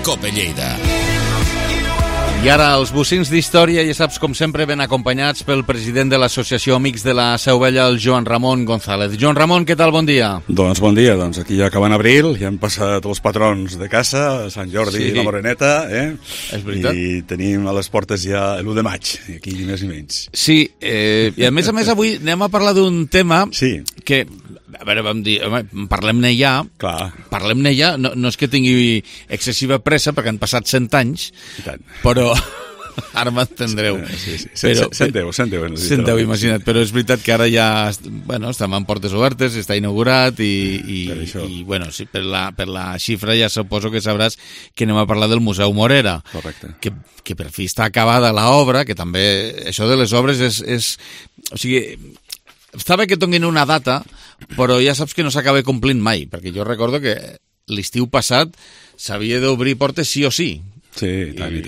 Speaker 29: Cope Lleida.
Speaker 1: I ara els bocins d'història, ja saps, com sempre, ben acompanyats pel president de l'Associació Amics de la Seu Vella, el Joan Ramon González. Joan Ramon, què tal? Bon dia.
Speaker 13: Doncs bon dia, aquí ja acabant abril, ja hem passat els patrons de casa, Sant Jordi i la Moreneta,
Speaker 1: És veritat.
Speaker 13: I tenim a les portes ja l'1 de maig, aquí més i menys.
Speaker 1: Sí, i a més avui anem a parlar d'un tema que, a veure, vam dir, parlem-ne ja.
Speaker 13: Clar.
Speaker 1: Parlem-ne ja, no és que tingui excessiva pressa, perquè han passat 100 anys, però ara m'entendreu.
Speaker 13: Sí. 110,
Speaker 1: imagina't, però és veritat que ara ja, bueno, estem en portes obertes, està inaugurat i bueno, sí, per la xifra ja suposo que sabràs que anem a parlar del Museu Morera.
Speaker 13: Correcte.
Speaker 1: Que per fi està acabada l'obra, que també això de les obres és o sigui, està bé que tinguin una data, però ja saps que no s'acaba complint mai, perquè jo recordo que l'estiu passat s'havia d'obrir portes sí o sí.
Speaker 13: Sí, i tant.
Speaker 1: I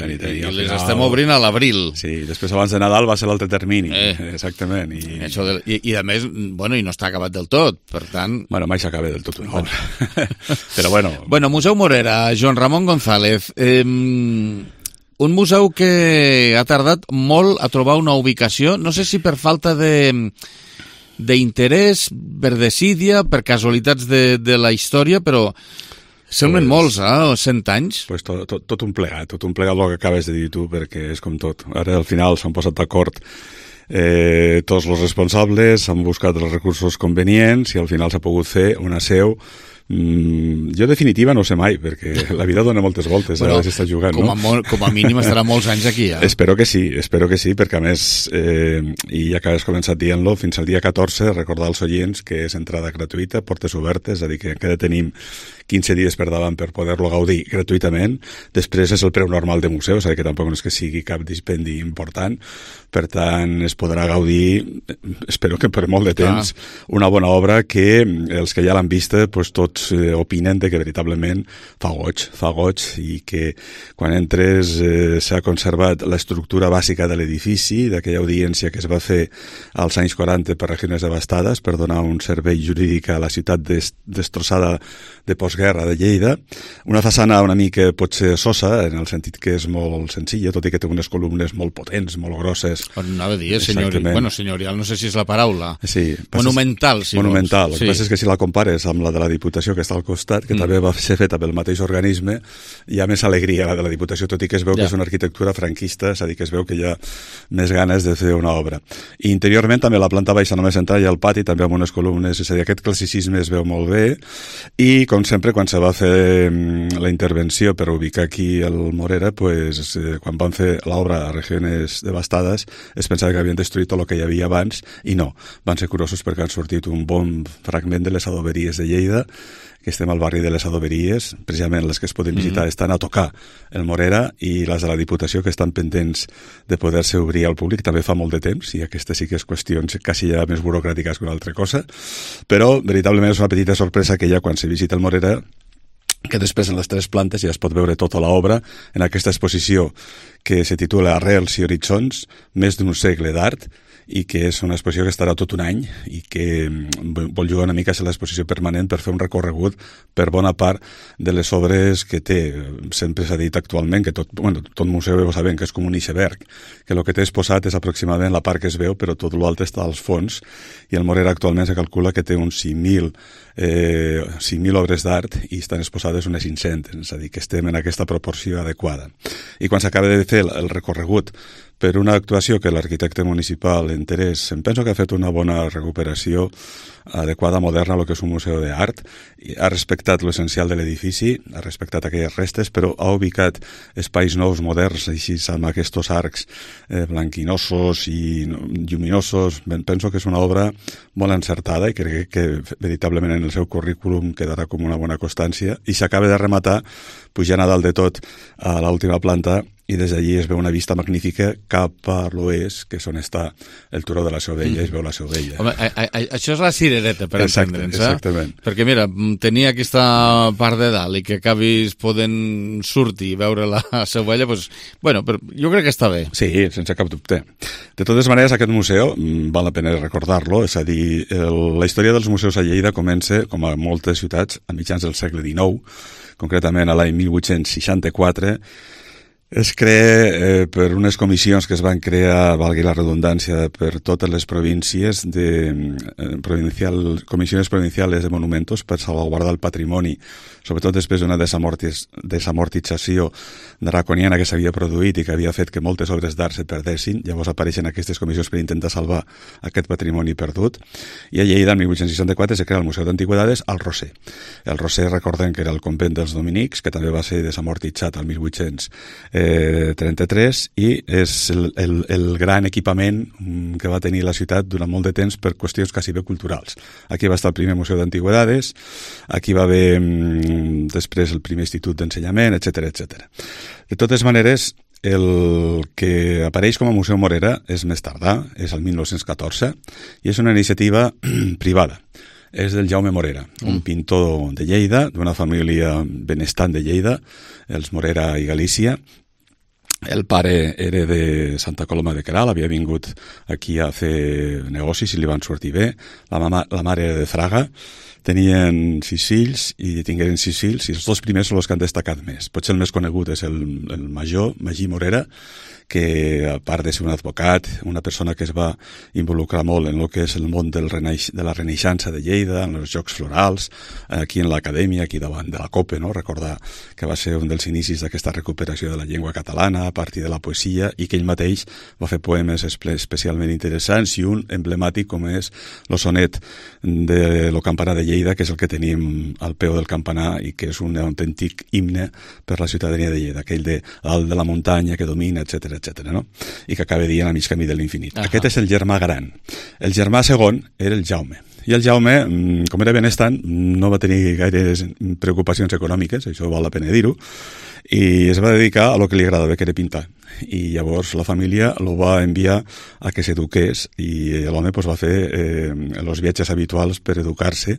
Speaker 1: les estem obrint a l'abril.
Speaker 13: Sí, després abans de Nadal va ser l'altre termini, exactament.
Speaker 1: I a més, bueno, i no està acabat del tot, per tant...
Speaker 13: Bueno, mai s'acaba del tot una obra. Però bueno...
Speaker 1: Bueno, Museu Morera, Joan Ramon González, un museu que ha tardat molt a trobar una ubicació, no sé si per falta d'interès, per desídia, per casualitats de la història, però semblen molts, 100 anys.
Speaker 13: Pues tot un plegat el que acabes de dir tu, perquè és com tot. Ara al final s'han posat d'acord tots els responsables, han buscat els recursos convenients i al final s'ha pogut fer una seu. Jo definitiva no sé mai, perquè la vida dona moltes voltes, a vegades està jugant, no?
Speaker 1: Com a mínim estarà molts anys aquí,
Speaker 13: Espero que sí, perquè a més, i ja que has començat dient-lo, fins al dia 14 recordar als oients que és entrada gratuïta, portes obertes, és a dir, que encara tenim 15 dies per davant per poder-lo gaudir gratuïtament. Després és el preu normal de museu, és a dir, que tampoc no és que sigui cap dispendi important, per tant es podrà gaudir, espero que per molt de temps, una bona obra que els que ja l'han vista, pues, tots opinen de que veritablement fa goig, i que quan entres s'ha conservat l'estructura bàsica de l'edifici, d'aquella audiència que es va fer als anys 40 per regions devastades per donar un servei jurídic a la ciutat destrossada de postguerra de Lleida. Una façana una mica potser sosa, en el sentit que és molt senzilla, tot i que té unes columnes molt potents, molt grosses.
Speaker 1: Anava a dir, senyorial, no sé si és la paraula. Sí. Monumental, si
Speaker 13: monumental. El que passa és que si la compares amb la de la Diputació, que està al costat, que també va ser feta pel mateix organisme, hi ha més alegria la de la Diputació, tot i que es veu que és una arquitectura franquista, és a dir, que es veu que hi ha més ganes de fer una obra. I interiorment també la planta baixa només entrar i al pati, també amb unes columnes, és a dir, aquest classicisme es veu molt bé, i com sempre, quan se va fer la intervenció per ubicar aquí el Morera, pues, quan van fer l'obra a regions devastades, es pensava que havien destruït tot el que hi havia abans, i no, van ser curosos perquè han sortit un bon fragment de les adoberies de Lleida, que estem al barri de les adoberies, precisament les que es poden visitar estan a tocar el Morera, i les de la Diputació que estan pendents de poder-se obrir al públic també fa molt de temps, i aquesta sí que és qüestions quasi ja més burocràtiques que una altra cosa, però veritablement és una petita sorpresa que ja quan se visita el Morera, que després en les 3 plantes ja es pot veure tota l'obra en aquesta exposició que se titula Arrels i horitzons, més d'un segle d'art, i que és una exposició que estarà tot un any i que vol jugar una mica a ser l'exposició permanent per fer un recorregut per bona part de les obres que té. Sempre s'ha dit actualment que tot museu ho sabem que és com un iceberg, que el que té exposat és aproximadament la part que es veu, però tot l'altre està als fons, i el Morera actualment se calcula que té uns 5.000 obres d'art i estan exposades unes 500, és a dir, que estem en aquesta proporció adequada. I quan s'acaba de fer el recorregut per una actuació que l'arquitecte municipal Interès, em penso que ha fet una bona recuperació adequada, moderna, a lo que és un museu d'art, ha respectat l'essencial de l'edifici, ha respectat aquelles restes, però ha ubicat espais nous, moderns, així amb aquests arcs blanquinosos i lluminosos. Penso que és una obra molt encertada i crec que veritablement en el seu currículum quedarà com una bona constància, i s'acaba de rematar pujant a dalt de tot a l'última planta, i des d'allí es veu una vista magnífica cap a l'oest, que és on està el turó de la Seu Vella, es veu la Seu Vella.
Speaker 1: Home, això és la cirereta, per entendre'ns,
Speaker 13: exactament.
Speaker 1: Perquè mira, tenir aquesta part de dalt i que acabis podent sortir i veure la Seu Vella, doncs, bueno, però jo crec que està bé.
Speaker 13: Sí, sense cap dubte. De totes maneres, aquest museu, val la pena recordar-lo, és a dir, la història dels museus a Lleida comença, com a moltes ciutats, a mitjans del segle XIX, concretament a l'any 1864, Es crea per unes comissions que es van crear, valgui la redundància, per totes les províncies, comissions provinciales de monumentos per salvaguardar el patrimoni, sobretot després d'una desamortització draconiana que s'havia produït i que havia fet que moltes obres d'art se perdessin. Llavors apareixen aquestes comissions per intentar salvar aquest patrimoni perdut. I a Lleida, en 1864, se crea el Museu d'Antigüedades al Roser. El Roser, recordem que era el convent dels dominics, que també va ser desamortitzat al 1833, i és el gran equipament que va tenir la ciutat durant molt de temps per qüestions quasi bé culturals. Aquí va estar el primer Museu d'Antigüedades, aquí va haver després el primer institut d'ensenyament, etc. De totes maneres, el que apareix com a Museu Morera és més tardà, és el 1914, i és una iniciativa privada. És del Jaume Morera, un pintor de Lleida, d'una família benestant de Lleida, els Morera i Galícia. El pare era de Santa Coloma de Queralt, havia vingut aquí a fer negocis i li van sortir bé. La mare era de Fraga. Tenien 6 fills i tingueren 6 fills, i els 2 primers són els que han destacat més. Potser el més conegut és el major, Magí Morera, que a part de ser un advocat, una persona que es va involucrar molt en el que és el món de la Renaixença de Lleida, en els Jocs Florals, aquí en l'acadèmia, aquí davant de la COPE, no? Recordar que va ser un dels inicis d'aquesta recuperació de la llengua catalana a partir de la poesia, i que ell mateix va fer poemes especialment interessants, i un emblemàtic com és el sonet de lo campanar de Lleida, que és el que tenim al peu del campanar i que és un autèntic himne per la ciutadania de Lleida, aquell de dalt de la muntanya que domina, etc., no? I que acaba dient a mig camí de l'infinit. Aquest és el germà gran. El germà segon era el Jaume. I el Jaume, com era benestant, no va tenir gaires preocupacions econòmiques, això val la pena dir-ho, i es va dedicar a lo que li agradava, que era pintar. I llavors la família lo va enviar a que s'eduqués, i l'home va fer els viatges habituals per educar-se,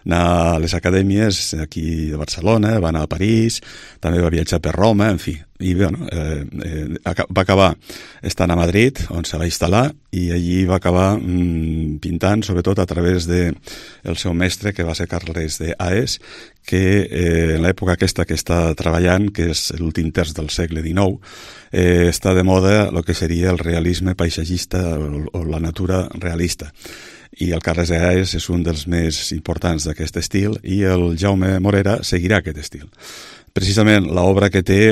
Speaker 13: anar a les acadèmies aquí de Barcelona, va anar a París, també va viatjar per Roma, en fi. I bueno, va acabar estant a Madrid, on se va instal·lar, i allí va acabar pintant, sobretot a través del seu mestre, que va ser Carles de Haes, que en l'època aquesta que està treballant, que és l'últim terç del segle XIX, està de moda el que seria el realisme paisatgista o la natura realista. I el Carles de Haes és un dels més importants d'aquest estil, i el Jaume Morera seguirà aquest estil. Precisament l'obra que té,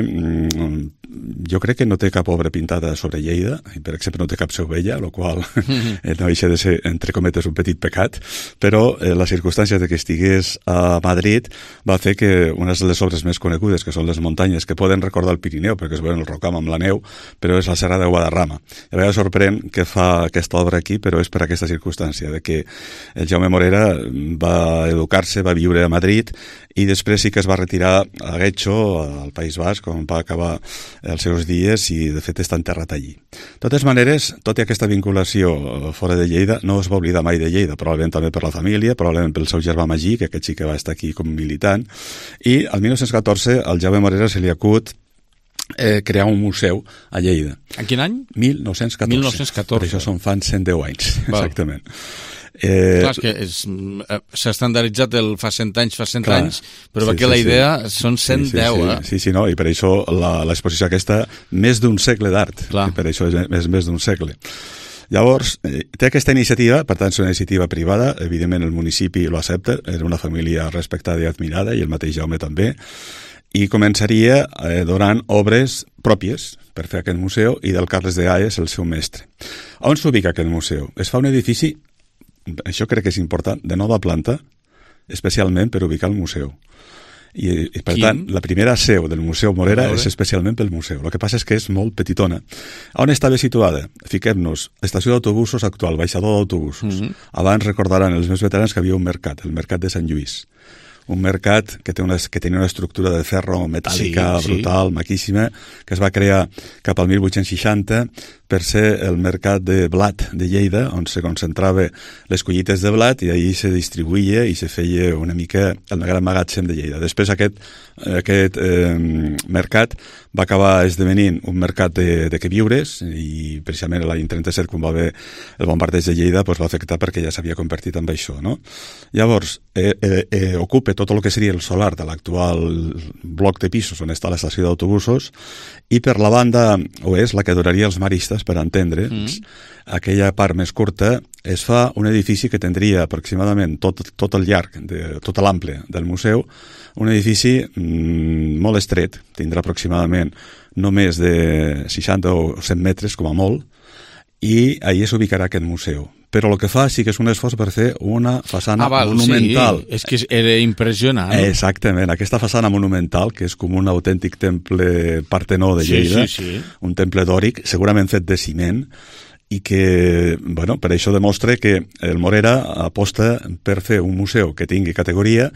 Speaker 13: jo crec que no té cap obra pintada sobre Lleida, per exemple no té cap Segovella, el qual no deixa de ser, entre cometes, un petit pecat, però la circumstància de que estigués a Madrid va fer que unes de les obres més conegudes, que són les muntanyes, que poden recordar el Pirineu, perquè es veuen el Rocam amb la neu, però és la Serra de Guadarrama. A vegades sorprèn que fa aquesta obra aquí, però és per aquesta circumstància, de que el Jaume Morera va educar-se, va viure a Madrid, i després sí que es va retirar a Guecho, al País Basc, on va acabar els seus dies, i de fet està enterrat allí. De totes maneres, tot i aquesta vinculació fora de Lleida, no es va oblidar mai de Lleida, probablement també per la família, probablement pel seu germà Magí, que aquest sí que va estar aquí com militant, i el 1914 al Jaume Morera se li acut crear un museu a Lleida.
Speaker 1: En quin any?
Speaker 13: 1914.
Speaker 1: 1914.
Speaker 13: Per això són fan 110 anys, exactament.
Speaker 1: Clar, és que s'ha estandarditzat el fa 100 anys, però perquè la idea són 110,
Speaker 13: Sí, no, i per això l'exposició aquesta, més d'un segle d'art, per això és més d'un segle. Llavors, té aquesta iniciativa, per tant, és una iniciativa privada, evidentment el municipi lo accepta, era una família respectada i admirada, i el mateix Jaume també, i començaria donant obres pròpies per fer aquest museu, i del Carles de Haes, el seu mestre. On s'ubica aquest museu? Es fa un edifici, això crec que és important, de nova planta, especialment per ubicar el museu. I per tant, la primera seu del Museu Morera és especialment pel museu. El que passa és que és molt petitona. On estava situada? Fiquem-nos, estació d'autobusos actual, baixador d'autobusos. Abans recordaran els meus veterans que havia un mercat, el mercat de Sant Lluís. Un mercat que tenia una estructura de ferro metàl·lica brutal, maquíssima, que es va crear cap al 1860 per ser el mercat de blat de Lleida, on se concentrava les collites de blat i ahir se distribuïa i se feia una mica el gran magatzem de Lleida. Després aquest mercat va acabar esdevenint un mercat de queviures i precisament l'any 37, quan va haver el bombardeig de Lleida, va afectar perquè ja s'havia convertit en això, no? Llavors, ocupa tot el que seria el solar de l'actual bloc de pisos on està l'estació d'autobusos i per la banda oest, la que duraria els maristes, per entendre, aquella part més curta, es fa un edifici que tindria aproximadament tot el llarg, tot l'ample del museu, un edifici molt estret, tindrà aproximadament no més de 60 o 100 metres com a molt, i ahí s'ubicarà aquest museu. Però el que fa sí que és un esforç per fer una façana monumental.
Speaker 1: Sí, és que era impressionant.
Speaker 13: Exactament, aquesta façana monumental, que és com un autèntic temple Partenó de Lleida, un temple dòric, segurament fet de ciment, i que, bueno, per això demostra que el Morera aposta per fer un museu que tingui categoria,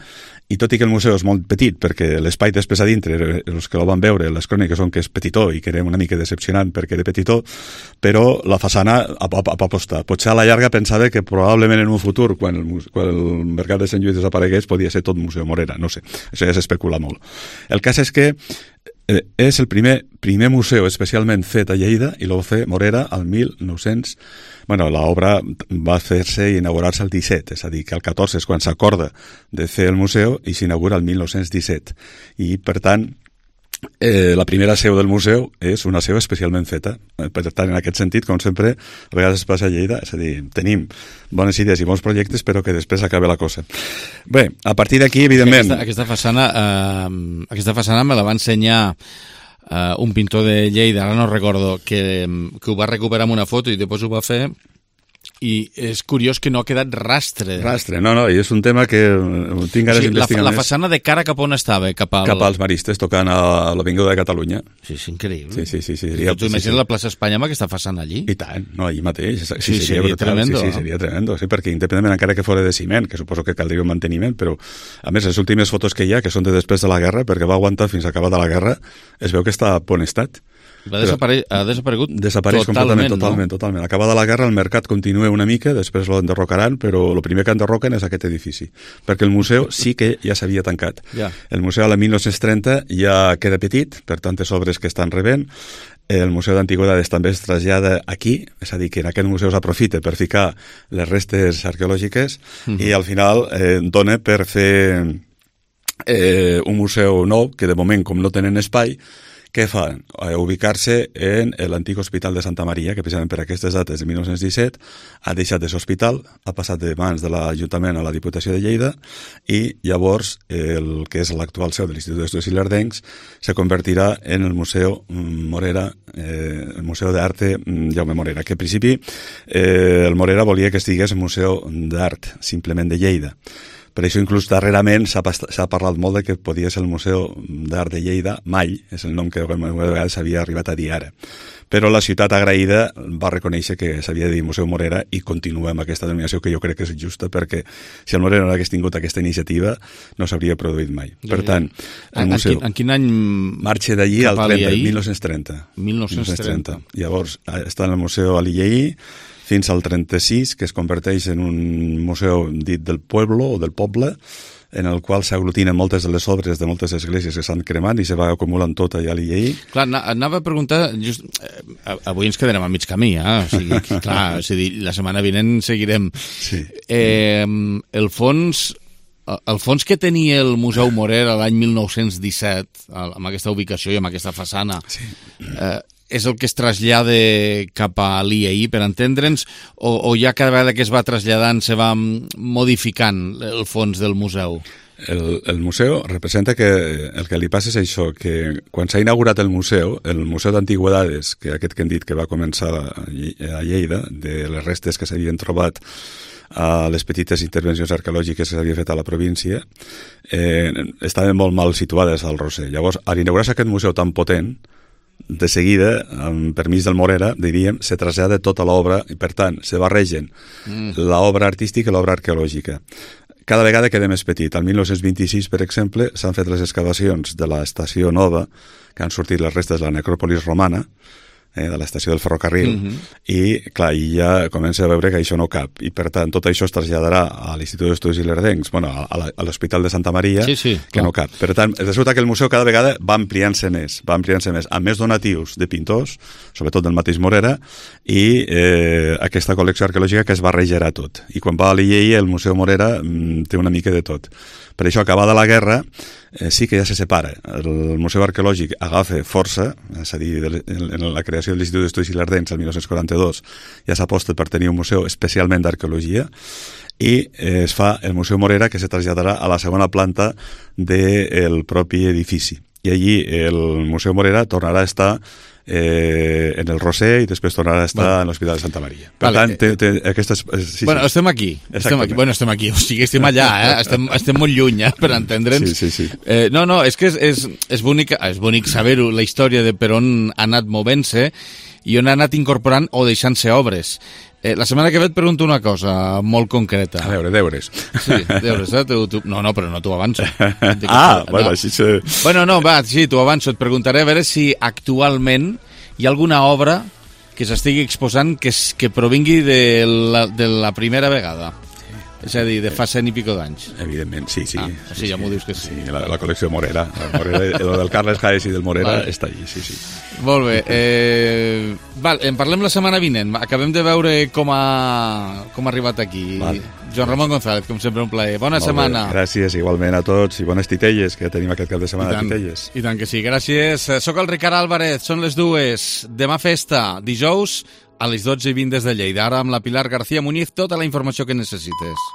Speaker 13: i tot i que el museu és molt petit, perquè l'espai després a dintre, els que el van veure, les cròniques són que és petitó i que era una mica decepcionant perquè era petitó, però la façana aposta. Potser a la llarga pensava que probablement en un futur, quan el mercat de Sant Lluís desaparegués, podia ser tot Museu Morera, no sé, això ja s'especula molt. El cas és que és el primer museu especialment fet a Lleida i el va fer Morera al 1900. Bueno, l'obra va fer-se i inaugurar-se el 17, és a dir, que el 14 és quan s'acorda de fer el museu i s'inaugura el 1917. I, per tant, la primera seu del museu és una seu especialment feta. Per tant, en aquest sentit, com sempre, a vegades es passa a Lleida, és a dir, tenim bones idees i bons projectes, però que després acaba la cosa. Bé, a partir d'aquí, evidentment...
Speaker 1: Aquesta façana me la va ensenyar un pintor de Lleida, ara no recordo, que ho va recuperar amb una foto i després ho va fer, i és curiós que no ha quedat rastre.
Speaker 13: Rastre, no, i és un tema que tinc ganes d'investigar més.
Speaker 1: La façana de cara cap on estava? Cap
Speaker 13: als maristes, tocant a l'Avinguda de Catalunya.
Speaker 1: Sí, és increïble.
Speaker 13: Sí.
Speaker 1: Tu imagines la plaça Espanya amb aquesta façana allí?
Speaker 13: I tant, no, allí mateix.
Speaker 1: Sí, seria tremendo.
Speaker 13: Sí, seria tremendo, sí, perquè independentment encara que fora de ciment, que suposo que caldria un manteniment, però a més les últimes fotos que hi ha, que són de després de la guerra, perquè va aguantar fins a acabar de la guerra, es veu que està a bon estat.
Speaker 1: Ha desaparegut
Speaker 13: totalment. Acabada la guerra, el mercat continua una mica, després lo enderrocaran, però el primer que enderroquen és aquest edifici, perquè el museu sí que ja s'havia tancat. El museu a la 1930 ja queda petit, per tantes obres que estan rebent. El Museu d'Antigüedades també es trasllada aquí, és a dir, que en aquest museu s'aprofita per ficar les restes arqueològiques i al final dona per fer un museu nou, que de moment, com no tenen espai, què fan? Ubicar-se en l'antic Hospital de Santa Maria, que precisament per aquestes dates de 1917 ha deixat de ser hospital, ha passat de mans de l'Ajuntament a la Diputació de Lleida i llavors el que és l'actual seu de l'Institut d'Estudis Ilerdencs se convertirà en el Museu Morera, el Museu d'Arte Jaume Morera, que en principi el Morera volia que estigués un museu d'art, simplement de Lleida. Per això inclús darrerament s'ha parlat molt de que podia ser el Museu d'Art de Lleida, Mall, és el nom que de vegades s'havia arribat a dir ara. Però la ciutat agraïda va reconèixer que s'havia de dir Museu Morera i continua amb aquesta denominació que jo crec que és justa, perquè si el Morera no hagués tingut aquesta iniciativa no s'hauria produït mai. Per tant, el museu...
Speaker 1: En quin any
Speaker 13: marxa d'allí al 1930. 1930. Llavors està en el Museu Alilleí fins al 36, que es converteix en un museu dit del pueblo o del poble, en el qual s'aglutinen moltes de les obres de moltes esglésies que s'han cremant i se va acumulant tot allà a l'Illeí.
Speaker 1: Clar, anava a preguntar, avui ens quedarem a mig camí, o sigui, clar, la setmana vinent seguirem.
Speaker 13: Sí.
Speaker 1: El fons que tenia el Museu Morera l'any 1917, amb aquesta ubicació i amb aquesta façana, és el que es trasllada cap a l'IAI, per entendre'ns, o ja cada vegada que es va traslladant se va modificant el fons del museu?
Speaker 13: El museu representa que el que li passa és això, que quan s'ha inaugurat el Museu d'Antigüedades, que aquest que hem dit que va començar a Lleida, de les restes que s'havien trobat a les petites intervencions arqueològiques que s'havia fet a la província, estaven molt mal situades al Roser. Llavors, a l'inaugurar-se aquest museu tan potent, de seguida, amb permís del Morera, diríem, se trasllada tota l'obra i, per tant, se barregen l'obra artística i l'obra arqueològica. Cada vegada queda més petit. El 1926, per exemple, s'han fet les excavacions de l'estació nova, que han sortit les restes de la necròpolis romana, de l'estació del ferrocarril, i clar, i ja comença a veure que això no cap, i per tant tot això es traslladarà a l'Institut d'Estudis Ilerdencs, bueno, a l'Hospital de Santa Maria, que no cap. Per tant, resulta que el museu cada vegada va ampliant-se més, amb més donatius de pintors, sobretot del mateix Morera, i aquesta col·lecció arqueològica que es barrejarà tot. I quan va a l'IEI, el Museu Morera té una mica de tot. Per això, acabada la guerra, sí que ja se separa. El Museu Arqueològic agafa força, és a dir, en la creació de l'Institut d'Estudis Ilerdencs el 1942 ja s'aposta per tenir un museu especialment d'arqueologia, i es fa el Museu Morera, que se traslladarà a la segona planta del propi edifici. I allí el Museu Morera tornarà a estar en el Roser i després tornarà a estar en l'Hospital de Santa Maria. Per tant, aquestes...
Speaker 1: Bueno, estem aquí. Bueno, estem aquí. O sigui, estem allà, estem molt lluny, per entendre'ns.
Speaker 13: Sí.
Speaker 1: No, és que és bonic saber-ho, la història de per on ha anat movent-se i on ha anat incorporant o deixant-se obres. La setmana que ve et pregunto una cosa molt concreta.
Speaker 13: A veure, deures.
Speaker 1: Sí, deures, No, però no t'ho avanço.
Speaker 13: Bueno, així se...
Speaker 1: Bueno, no, va, sí, t'ho avanço. Et preguntaré a veure si actualment hi ha alguna obra que s'estigui exposant que provingui de la primera vegada. És a dir, de fa 100 i pico d'anys.
Speaker 13: Evidentment, sí.
Speaker 1: O sigui, ja m'ho dius que sí.
Speaker 13: Sí, la col·lecció Morera. El del Carles Haes i del Morera està allí, sí.
Speaker 1: Molt bé. En parlem la setmana vinent. Acabem de veure com ha arribat aquí. Joan Ramon González, com sempre, un plaer. Bona setmana.
Speaker 13: Gràcies, igualment a tots, i bones titelles, que tenim aquest cap de setmana de titelles.
Speaker 1: I tant que sí, gràcies. Soc el Ricard Álvarez, són les 2. Demà festa, dijous, a les 12:20 des de Lleida. Ara amb la Pilar García Muñiz, tota la informació que necessites.